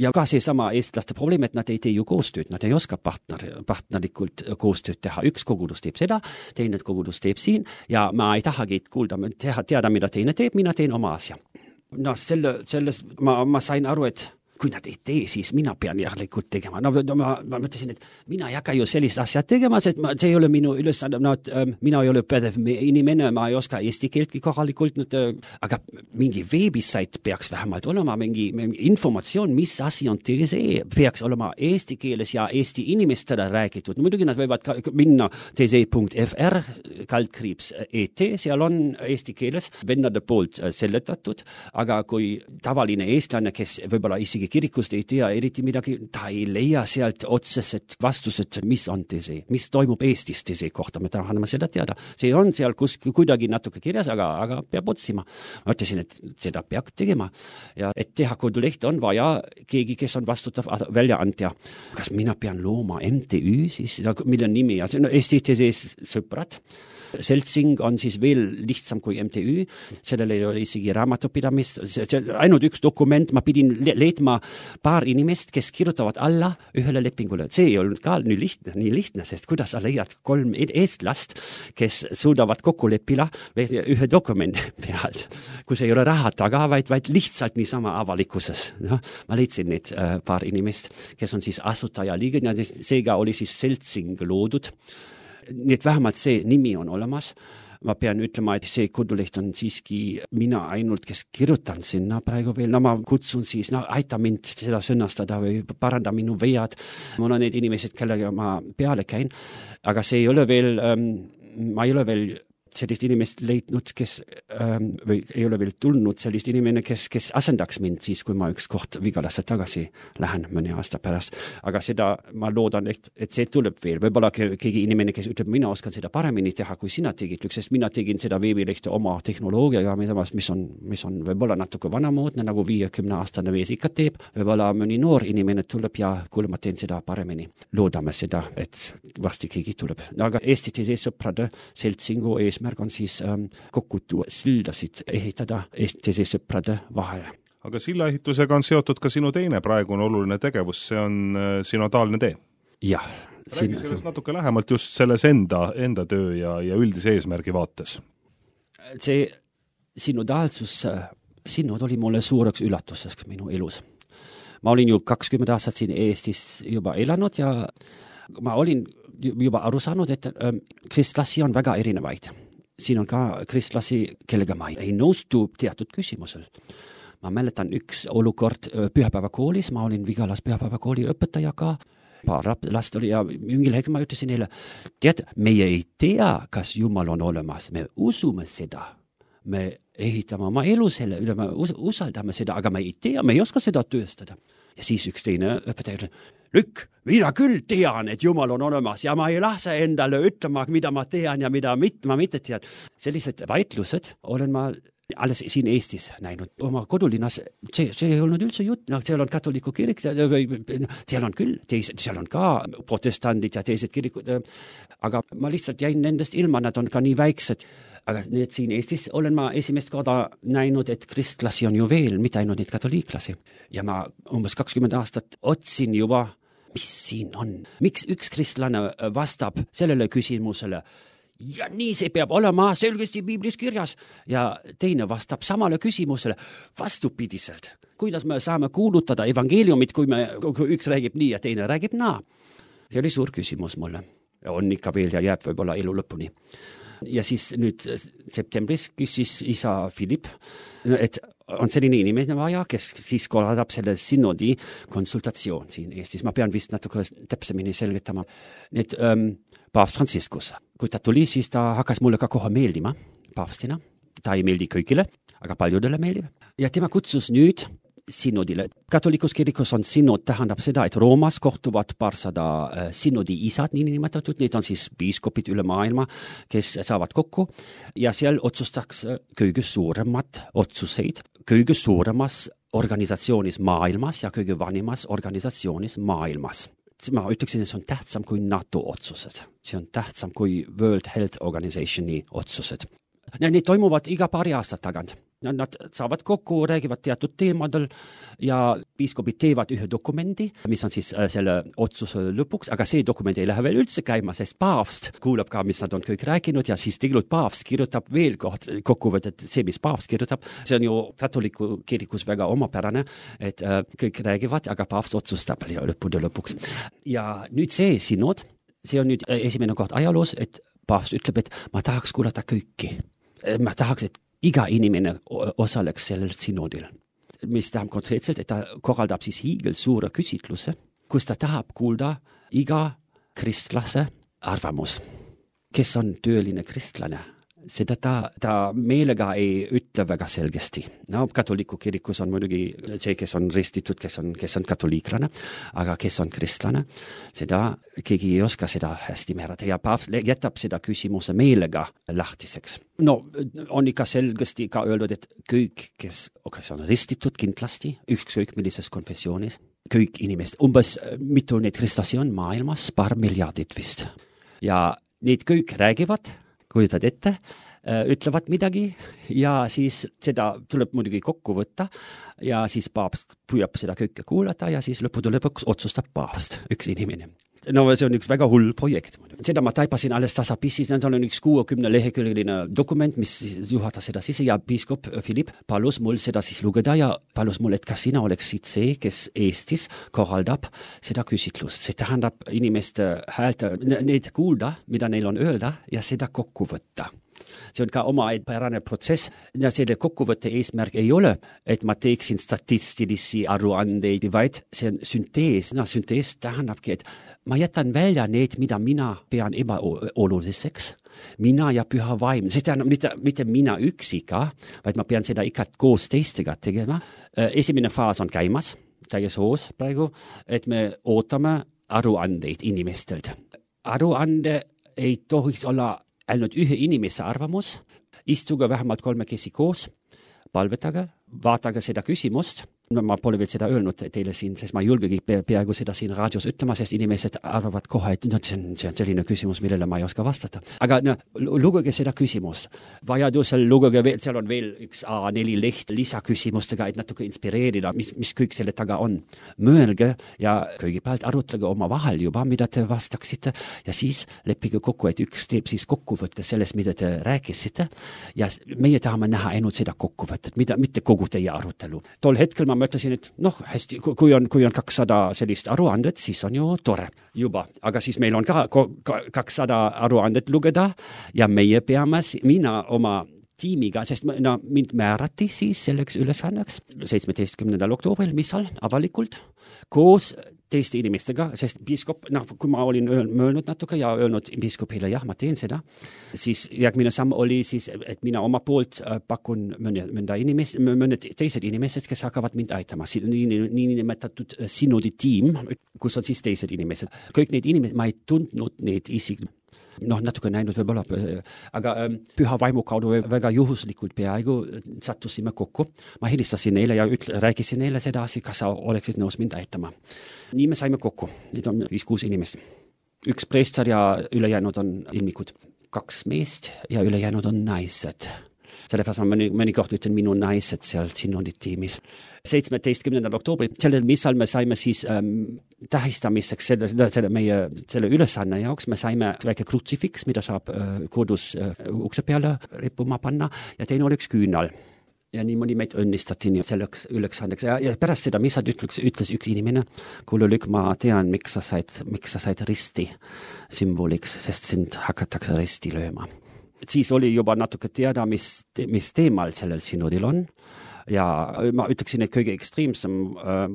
Ja ka see sama eestlaste probleem, et nad ei tee ju koostööd, nad ei oska partner, partnerikult koostööd teha. Üks kogudus teeb seda, teine kogudus teeb siin ja ma ei tahagi kuulda, teha, teada, mida teine teeb, mina teen oma asja. No selle, selles ma, ma sain aru, et kui nad ei tee, siis mina pean järelikult tegema. No, ma, ma mõtlesin, et mina ei hakka ju sellist asja tegema, sest ma, see ei ole minu ülesanne, no, äh, mina ei ole pädev inimene, ma ei oska eesti keeltki kohalikult, nüüd, äh, aga mingi veebisait peaks vähemalt olema, mingi, mingi informatsioon, mis asi on T S E, peaks olema eesti keeles ja eesti inimestele räägitud. No muidugi nad võivad ka minna T S E punkt F R, kaldkriips E T, seal on eesti keeles vennade poolt seletatud, aga kui tavaline eestlane, kes võib-olla isegi kirikust ei tea eriti midagi, ta ei leia sealt otsesed vastused, mis on T S E, mis toimub Eestis T S E kohta, me tahame seda teada. See on seal kus, kuidagi natuke kirjas, aga, aga peab otsima. Ma ütlesin, et seda peab tegema ja et teha koduleht on vaja keegi, kes on vastutav väljaandja. Kas mina pean looma M T Ü, siis, mille nimi ja see on Eesti T S E sõbrad. Seltsing on siis veel lihtsam kui M T Ü, sellel ei ole isegi raamatupidamist, see, see ainult üks dokument, ma pidin leidma paar inimest, kes kirjutavad alla ühele lepingule. See ei olnud ka nii lihtne, nii lihtne, sest kuidas sa leiad kolm eestlast, kes suudavad kokku leppida ühe dokumendi pealt, kus ei ole raha taga, vaid, vaid lihtsalt niisama avalikkuses. No, ma leidsin neid äh, paar inimest, kes on siis asutaja liige, seega oli siis Seltsing loodud. Nii et vähemalt see nimi on olemas. Ma pean ütlema, et see koduleht on siiski mina ainult, kes kirjutan sinna praegu veel. No ma kutsun siis, no aita mind seda sõnastada või paranda minu vead. Mul on need inimesed, kellega ma peale käin, aga see ei ole veel, ähm, ma ei ole veel sellist inimest leidnud, kes ähm, või ei ole veel tulnud sellist inimene, kes, kes asendaks mind siis, kui ma üks koht Vigalasse tagasi lähen mõne aasta pärast. Aga seda ma loodan, et, et see tuleb veel. Võib-olla keegi inimene, kes ütleb, mina oskan seda paremini teha, kui sina tegid, sest mina tegin seda veebilehte oma tehnoloogiaga, mis on, mis on võib-olla natuke vanamoodne, nagu viiekümne aastane vees ikka teeb. Võib-olla mõni noor inimene tuleb ja kuule, ma teen seda paremini. Loodame seda, et varsti keegi tuleb. Aga Eesti T S E sõprade Seltsingu eesmärk on siis ähm, kokku tuua sildasid ehitada Eesti T S E sõprade vahel. Aga sillaehitusega on seotud ka sinu teine praegune oluline tegevus, see on äh, sinodaalne tee. Jah. Räägi sellest natuke lähemalt just selles enda, enda töö ja, ja üldise eesmärgi vaates. See sinodaalsus, sinod oli mulle suureks üllatuseks minu elus. Ma olin ju kakskümmend aastat siin Eestis juba elanud ja ma olin juba aru saanud, et ähm, kristlasi on väga erinevaid. Siin on ka kristlasi, kellega ma ei nõustu teatud küsimusel. Ma mäletan üks olukord pühapäevakoolis, ma olin Vigalas pühapäevakooli õpetaja ka, paar last oli ja mingil hetkel ma ütlesin neile, tead, meie ei tea, kas Jumal on olemas, me usume seda, me ehitame oma elu selle üle, me usaldame seda, aga me ei tea, me ei oska seda tööstada. Ja siis üks teine õpetaja ütleb, Lükk, mina küll tean, et Jumal on olemas ja ma ei lase endale ütlema, mida ma tean ja mida mit, ma mitte tean. Sellised vaidlused olen ma alles siin Eestis näinud. Oma kodulinnas, see, see ei olnud üldse jutt, no, seal on katoliku kirik, seal on küll, teised, seal on ka protestandid ja teised kirikud, aga ma lihtsalt jäin nendest ilma, nad on ka nii väiksed. Aga need siin Eestis olen ma esimest korda näinud, et kristlasi on ju veel, mitte ainult neid katoliiklasi. Ja ma umbes kakskümmend aastat otsin juba, mis siin on. Miks üks kristlane vastab sellele küsimusele, ja nii see peab olema selgesti Piiblis kirjas, ja teine vastab samale küsimusele vastupidiselt. Kuidas me saame kuulutada evangeeliumit, kui, me, kui üks räägib nii ja teine räägib naa? See oli suur küsimus mulle. On ikka veel ja jääb võib-olla elu lõpuni. Ja siis nüüd septembris küsis isa Filip, et on selline inimene vaja, kes siis korraldab selle synodi konsultatsioon siin Eestis. Ma pean vist natuke täpsemini selgitama. Nüüd ähm, paavst Franciscus, kui ta tuli, siis ta hakkas mulle ka kohe meeldima paavstina. Ta ei meeldi kõigile, aga paljudele meeldib. Ja tema kutsus nüüd synodile. Katolikus kirikus on synod, tähendab seda, et Roomas kohtuvad paarsada äh, synodi isad, nii nimetatud, need on siis piiskopid üle maailma, kes saavad kokku ja seal otsustaks kõige suuremad otsuseid, kõige suuremas organisatsioonis maailmas ja kõige vanimas organisatsioonis maailmas. ma ütleksin, et see on tähtsam kui NATO otsused. See on tähtsam kui World Health Organizationi otsused. Need toimuvad iga paari aastat tagant. Nad saavad kokku, räägivad teatud teemadel ja piiskopid teevad ühe dokumendi, mis on siis selle otsuse lõpuks, aga see dokument ei lähe veel üldse käima, sest paavst kuulab ka, mis nad on kõik rääkinud ja siis tegelikult paavst kirjutab veel koht, kokkuvõtet, see, mis paavst kirjutab. See on ju katoliku kirikus väga omapärane, et kõik räägivad, aga paavst otsustab lõppude lõpuks. Ja nüüd see sinod, see on nüüd esimene koht ajaloos, et paavst ütleb, et ma tahaks kuulata kõiki. Ma tahaks, et iga inimene osaleks sellel sinodil, mis tähendab konkreetselt, et ta korraldab siis hiigel suure küsitluse, kus ta tahab kuulda iga kristlase arvamus. Kes on tööline kristlane? Seda ta, ta meelega ei ütle väga selgesti. No, katoliku kirikus on muidugi see, kes on ristitud, kes on, kes on katoliiklane, aga kes on kristlane, seda keegi ei oska seda hästi määrata ja paavst jätab seda küsimuse meelega lahtiseks. No, on ikka selgesti ka öeldud, et kõik, kes, kes on ristitud kindlasti, ükskõik millises konfessioonis, kõik inimesed, umbes mitu neid kristlasi on maailmas, paar miljardit vist. Ja need kõik räägivad, kujutad ette, ütlevad midagi ja siis seda tuleb muidugi kokku võtta ja siis paavst püüab seda kõike kuulata ja siis lõppude lõpuks otsustab paavst, üks inimene. No see on üks väga hull projekt. Seda ma taipasin alles tasapissis, see on üks kuuekümne leheküljeline dokument, mis juhatas seda sisse ja piiskop Philipp palus mul seda siis lugeda ja palus mul, et kas sina oleksid see, kes Eestis korraldab seda küsitlust. See tähendab inimeste häält, neid kuulda, mida neil on öelda ja seda kokku võtta. See on ka oma pärane protsess ja selle kokkuvõtte eesmärk ei ole, et ma teeksin statistilisi aruandeid, vaid see on syntees. No, syntees tähendabki, et ma jätan välja need, mida mina pean ebaoluliseks. Mina ja püha vaim. See tähendab mitte, mitte mina üksika, vaid ma pean seda ikka koos teistega tegema. Esimene faas on käimas, täies hoos praegu, et me ootame aruandeid inimestelt. Aruande ei tohiks olla ainult ühe inimese arvamus, istuge vähemalt kolmekesi koos, palvetage, vaatage seda küsimust. No, ma pole veel seda öelnud teile siin, sest ma ei julgegi peaaegu seda siin raadios ütlema, sest inimesed arvavad kohe, et no, see, on, see on selline küsimus, millele ma ei oska vastata. Aga no, lugege seda küsimus. Vajadusel lugege veel, seal on veel üks A neli leht lisaküsimustega, et natuke inspireerida, mis, mis kõik selle taga on. Mõelge ja kõigepealt arutlege oma vahel juba, mida te vastaksite ja siis leppige kokku, et üks teeb siis kokkuvõtte sellest, mida te rääkisite ja meie tahame näha ainult seda kokkuvõtet, mida, mitte kogu teie arutelu. Tol hetkel ma mõtlesin, et noh, hästi, kui on, kui on kakssada sellist aruandet, siis on ju tore juba. Aga siis meil on ka kakssada aruandet lugeda ja meie peame, mina oma tiimiga, sest no, mind määrati siis selleks ülesanneks seitsmeteistkümnendal oktoobril, mis seal avalikult koos teiste inimestega, sest piiskop, noh, kui ma olin mõelnud natuke ja öelnud piiskopile, jah, ma teen seda, siis järgmine samm oli siis, et mina oma poolt pakun mõnda inimest, mõned teised inimesed, kes hakkavad mind aitama. Nii, nii nimetatud sinodi tiim, kus on siis teised inimesed. Kõik need inimesed, ma ei tundnud neid isik, noh, natuke näinud võib-olla, aga ähm, püha vaimu kaudu väga juhuslikult peaaegu sattusime kokku. Ma helistasin neile ja ütle, rääkisin neile seda asi, kas sa oleksid nõus mind aitama. Nii me saime kokku. Need on viis-kuus inimest. Üks preester ja ülejäänud on ilmikud. Kaks meest ja ülejäänud on naised. Sellepärast ma mõni, mõnikord ütlen minu naised seal sinodit tiimis. seitsmeteistkümnendal oktoobril, sellel missal me saime siis ähm, tähistamiseks selle, selle meie selle ülesanne jaoks, me saime väike krutsifiks, mida saab äh, kodus äh, ukse peale rippuma panna ja teine oli üks küünal. Ja niimoodi meid õnnistati selleks ülesandeks. Ja, ja pärast seda missal ütles, ütles üks inimene, kuule Lük, ma tean, miks sa said, miks sa said risti sümboliks, sest sind hakatakse risti lööma. Siis oli juba natuke teada, mis, mis teemal sellel sinodil on. Ja ma ütleksin, et kõige ekstreemsem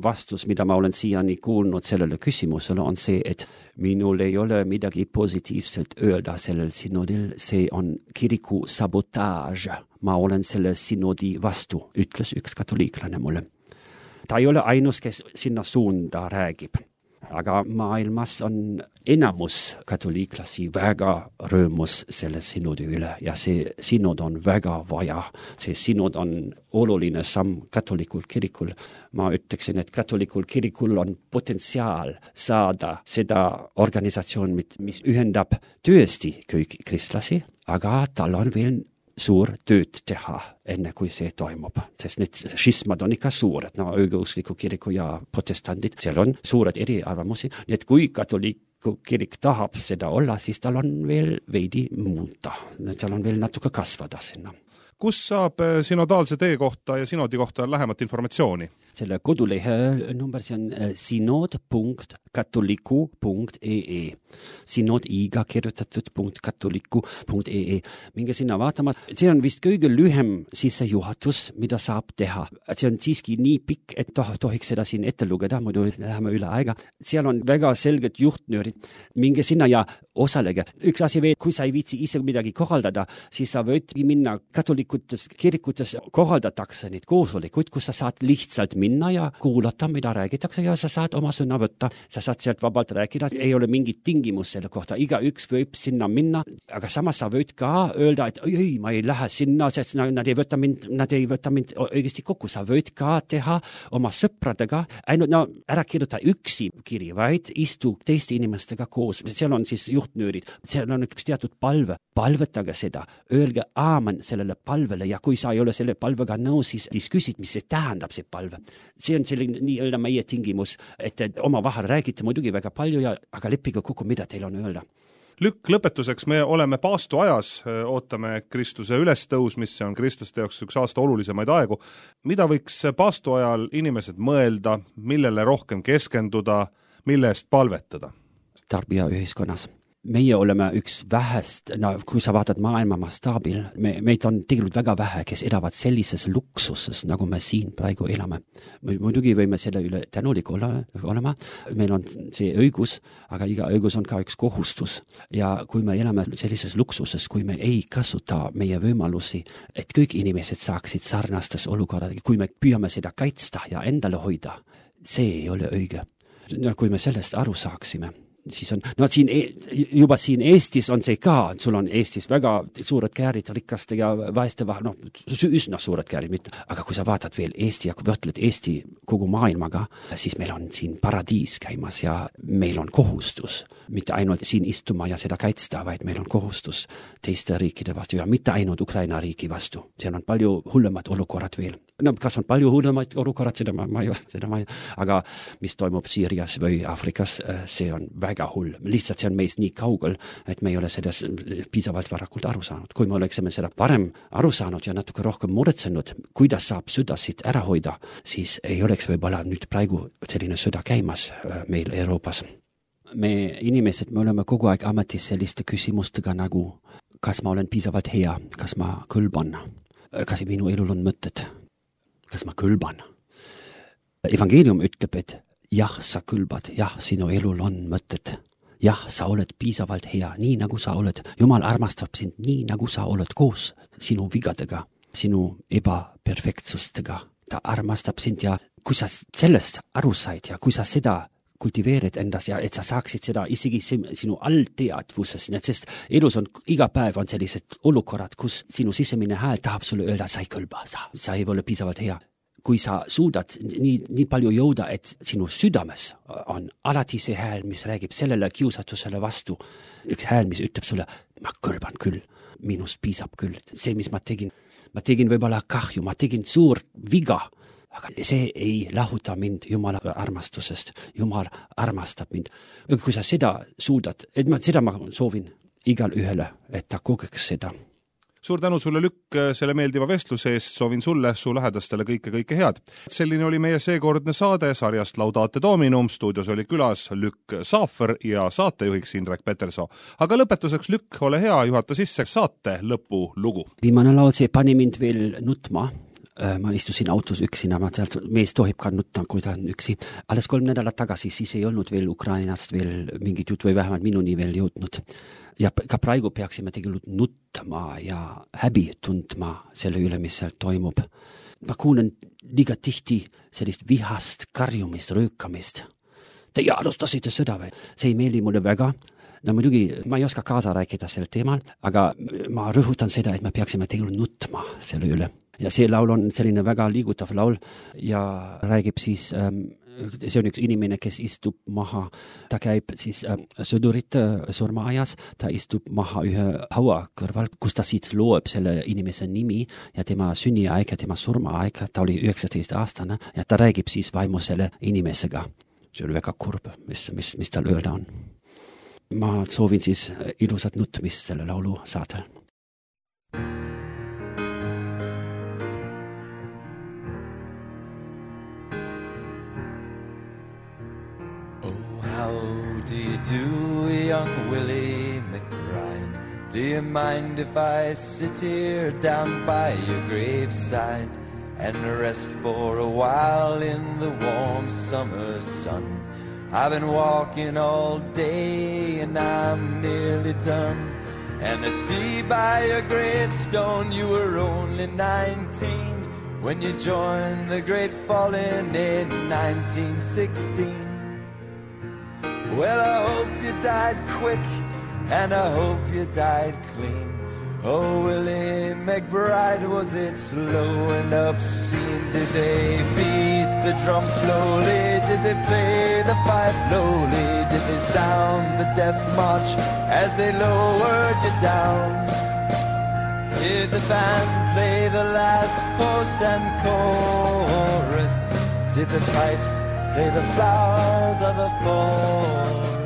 vastus, mida ma olen siiani kuulnud sellele küsimusele, on see, et minul ei ole midagi positiivselt öelda sellel sinodil, see on kiriku sabotaaž. Ma olen selle sinodi vastu, ütles üks katoliiklane mulle. Ta ei ole ainus, kes sinna suunda räägib. aga maailmas on enamus katoliiklasi väga rõõmus selle sinodi üle ja see sinod on väga vaja. See sinod on oluline samm katolikul kirikul. Ma ütleksin, et katolikul kirikul on potentsiaal saada seda organisatsioon, mis ühendab tõesti kõik kristlasi, aga tal on veel suur tööd teha, enne kui see toimub. Sest need schismad on ikka suured, no õigeuskliku kiriku ja protestandid, seal on suured eriarvamusi, nii et kui katoliiku kirik tahab seda olla, siis tal on veel veidi muuta. Seal on veel natuke kasvada sinna. Kus saab sinodaalse tee kohta ja sinodi kohta lähemat informatsiooni? Selle kodulehe number see on synod punkt katoliku punkt e e. Synod iga kirjutatud punkt katoliku punkt e e. Minge sinna vaatama. See on vist kõige lühem sissejuhatus, mida saab teha. See on siiski nii pikk, et toh, tohiks seda siin ette lugeda, muidu läheme üle aega. Seal on väga selged juhtnöörid. Minge sinna ja osalege. Üks asi veel, kui sa ei viitsi ise midagi korraldada, siis sa võid minna katolikutes kirikutes korraldatakse neid koosolekuid, kus sa saad lihtsalt minna ja kuulata, mida räägitakse ja sa saad oma sõna võtta. Sa saad sealt vabalt rääkida, ei ole mingit tingimus selle kohta. Iga üks võib sinna minna, aga samas sa võid ka öelda, et ei, ei, ma ei lähe sinna, sest nad ei võta mind, nad ei võta mind õigesti kokku. Sa võid ka teha oma sõpradega, ainult no, ära kirjuta üksi kiri, vaid istu teiste inimestega koos. Seal on siis juhtnöörid, seal on üks teatud palve. Palvetage seda, öelge aamen sellele palvele ja kui sa ei ole selle palvega nõus, siis, siis küsid, mis see tähendab, see palve. See on selline nii-öelda meie tingimus, et oma vahel räägite muidugi väga palju, ja, aga leppige kokku, mida teil on öelda. Lükk lõpetuseks, me oleme paastu ajas, ootame Kristuse ülestõus, mis on kristlaste jaoks üks aasta olulisemaid aegu. Mida võiks paastu ajal inimesed mõelda, millele rohkem keskenduda, mille eest palvetada? Tarbija ühiskonnas. Meie oleme üks vähest, no kui sa vaatad maailma mastaabil, me, meid on tegelikult väga vähe, kes elavad sellises luksuses, nagu me siin praegu elame. Muidugi võime selle üle tänulik olla, olema, meil on see õigus, aga iga õigus on ka üks kohustus. Ja kui me elame sellises luksuses, kui me ei kasuta meie võimalusi, et kõik inimesed saaksid sarnastes olukorrad, kui me püüame seda kaitsta ja endale hoida, see ei ole õige. No, kui me sellest aru saaksime, siis on, no siin, juba siin Eestis on see ka, sul on Eestis väga suured käärid rikaste ja vaeste vahel, noh, üsna suured käärid, mitte. Aga kui sa vaatad veel Eesti ja kui võtled Eesti kogu maailmaga, siis meil on siin paradiis käimas ja meil on kohustus, mitte ainult siin istuma ja seda kaitsta, vaid meil on kohustus teiste riikide vastu ja mitte ainult Ukraina riigi vastu. Seal on palju hullemad olukorrad veel. No, kas on palju hullemaid olukorrad, seda ma, ma ei ole, seda ma ei, aga mis toimub Siirias või Afrikas, see on väga hull. Lihtsalt see on meist nii kaugel, et me ei ole sellest piisavalt varakult aru saanud. Kui me oleksime seda varem aru saanud ja natuke rohkem muretsenud, kuidas saab sõdasid ära hoida, siis ei oleks võib-olla nüüd praegu selline sõda käimas meil Euroopas. Me inimesed, me oleme kogu aeg ametis selliste küsimustega nagu, kas ma olen piisavalt hea, kas ma kõlban, kas minu elul on mõtted, kas ma kõlban. Evangelium ütleb, et jah, sa kõlbad, jah, sinu elul on mõtted. Jah, sa oled piisavalt hea, nii nagu sa oled. Jumal armastab sind nii nagu sa oled koos sinu vigadega, sinu ebaperfektsustega. Ta armastab sind ja kui sa sellest aru said ja kui sa seda kultiveerid endas ja et sa saaksid seda isegi sinu allteadvuses, sest elus on iga päev on sellised olukorrad, kus sinu sisemine hääl tahab sulle öelda, sa ei kõlba, sa, sa ei ole piisavalt hea. Kui sa suudad nii, nii palju jõuda, et sinu südames on alati see hääl, mis räägib sellele kiusatusele vastu, üks hääl, mis ütleb sulle, ma kõlban küll, minust piisab küll, see, mis ma tegin, ma tegin võib-olla kahju, ma tegin suur viga, aga see ei lahuta mind Jumala armastusest. Jumal armastab mind. Kui sa seda suudad, et ma, seda ma soovin igal ühele, et ta kogeks seda. Suur tänu sulle, Lükk, selle meeldiva vestluse eest. Soovin sulle, su lähedastele kõike, kõike head. Selline oli meie seekordne saade sarjast Laudate Dominum. Stuudios oli külas Lükk Saafer ja saatejuhiks Indrek Petersoo. Aga lõpetuseks, Lükk, ole hea, juhata sisse saate lõpu lugu. Viimane laul, see pani mind veel nutma. Ma istusin autos üksina, ma sealt, mees tohib ka nutta, kui ta on üksi. Alles kolm nädalat tagasi, siis ei olnud veel Ukrainast veel mingit jutt või vähemalt minuni veel jõudnud. Ja ka praegu peaksime tegelikult nutma ja häbi tundma selle üle, mis seal toimub. Ma kuulen liiga tihti sellist vihast, karjumist, röökamist. Teie alustasite sõda või? See ei meeldi mulle väga. No muidugi, ma ei oska kaasa rääkida sel teemal, aga ma rõhutan seda, et me peaksime tegelikult nutma selle üle. Ja see laul on selline väga liigutav laul ja räägib siis, ähm, see on üks inimene, kes istub maha, ta käib siis ähm, sõdurite surmaajas, ta istub maha ühe haua kõrval, kus ta siis loeb selle inimese nimi ja tema sünniaeg ja tema surmaaeg, ta oli üheksateist aastane ja ta räägib siis vaimu selle inimesega. See on väga kurb, mis, mis, mis tal öelda on. Ma soovin siis ilusat nutmist selle laulu saatel. How do you do, young Willie McBride? Do you mind if I sit here down by your graveside and rest for a while in the warm summer sun? I've been walking all day and I'm nearly done, and I see by your gravestone you were only nineteen when you joined the great falling in nineteen sixteen. Well, I hope you died quick, and I hope you died clean. Oh, Willie McBride, was it slow and obscene? Did they beat the drum slowly? Did they play the fife lowly? Did they sound the death march as they lowered you down? Did the band play the last post and chorus? Did the pipes play the flowers of the forest?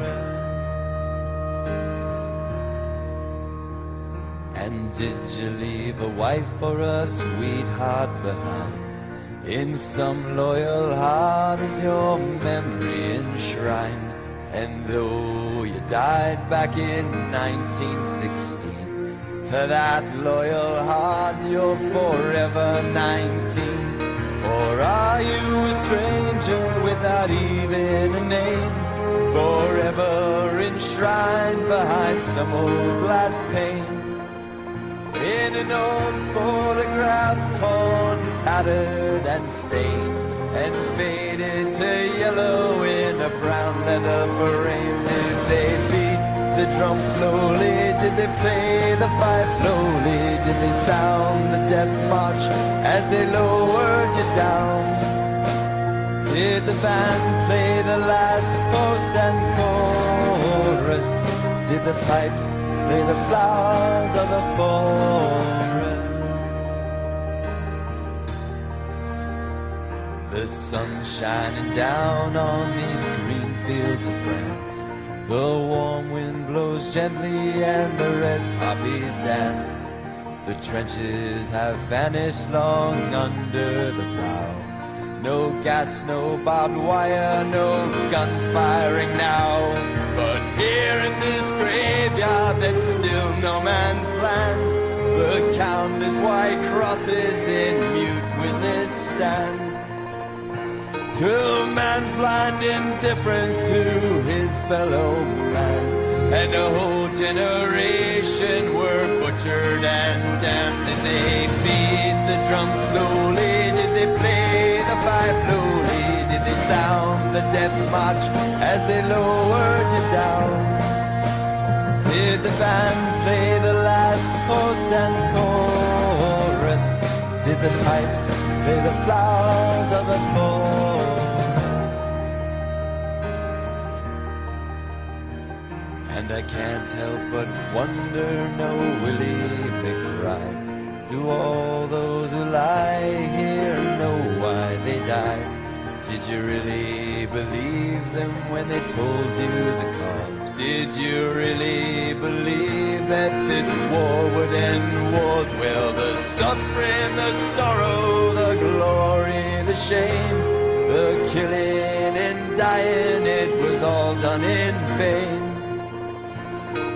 And did you leave a wife or a sweetheart behind? In some loyal heart is your memory enshrined. And though you died back in nineteen sixteen, to that loyal heart you're forever nineteen. Or are you a stranger without even a name, forever enshrined behind some old glass pane, in an old photograph torn, tattered and stained, and faded to yellow in a brown leather frame? Did they beat the drum slowly? Did they play the fife lowly? Did they sound the death march as they lowered you down? Did the band play the last post and chorus? Did the pipes play the flowers of the forest? The sun shining down on these green fields of France. The warm wind blows gently and the red poppies dance. The trenches have vanished long under the plow. No gas, no barbed wire, no guns firing now. But here in this graveyard that's still no man's land, the countless white crosses in mute witness stand to man's blind indifference to his fellow man. And a whole generation were butchered and damned. Did they beat the drum slowly? Did they play the fife lowly? Did they sound the death march as they lowered you down? Did the band play the last post and chorus? Did the pipes play the flowers of the forest? And I can't help but wonder, no Willie McBride, do all those who lie here know why they died? Did you really believe them when they told you the cause? Did you really believe that this war would end wars? Well, the suffering, the sorrow, the glory, the shame, the killing and dying, it was all done in vain.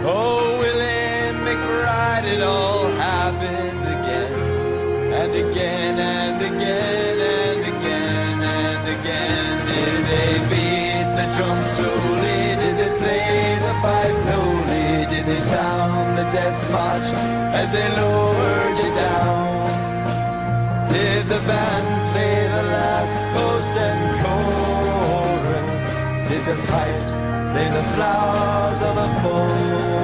Oh, Willie McBride, it all happened again, and again, and again, and again, and again. Did they beat the drum slowly? Did they play the fife lowly? Did they sound the death march as they lowered you down? Did the band play the last post and chorus? Did the pipes, they're the flowers of the forest.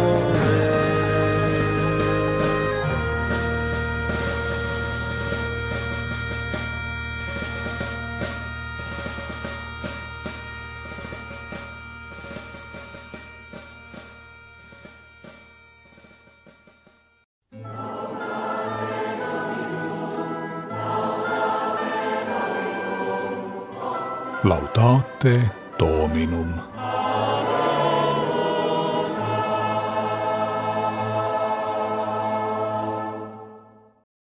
Laudate Dominum.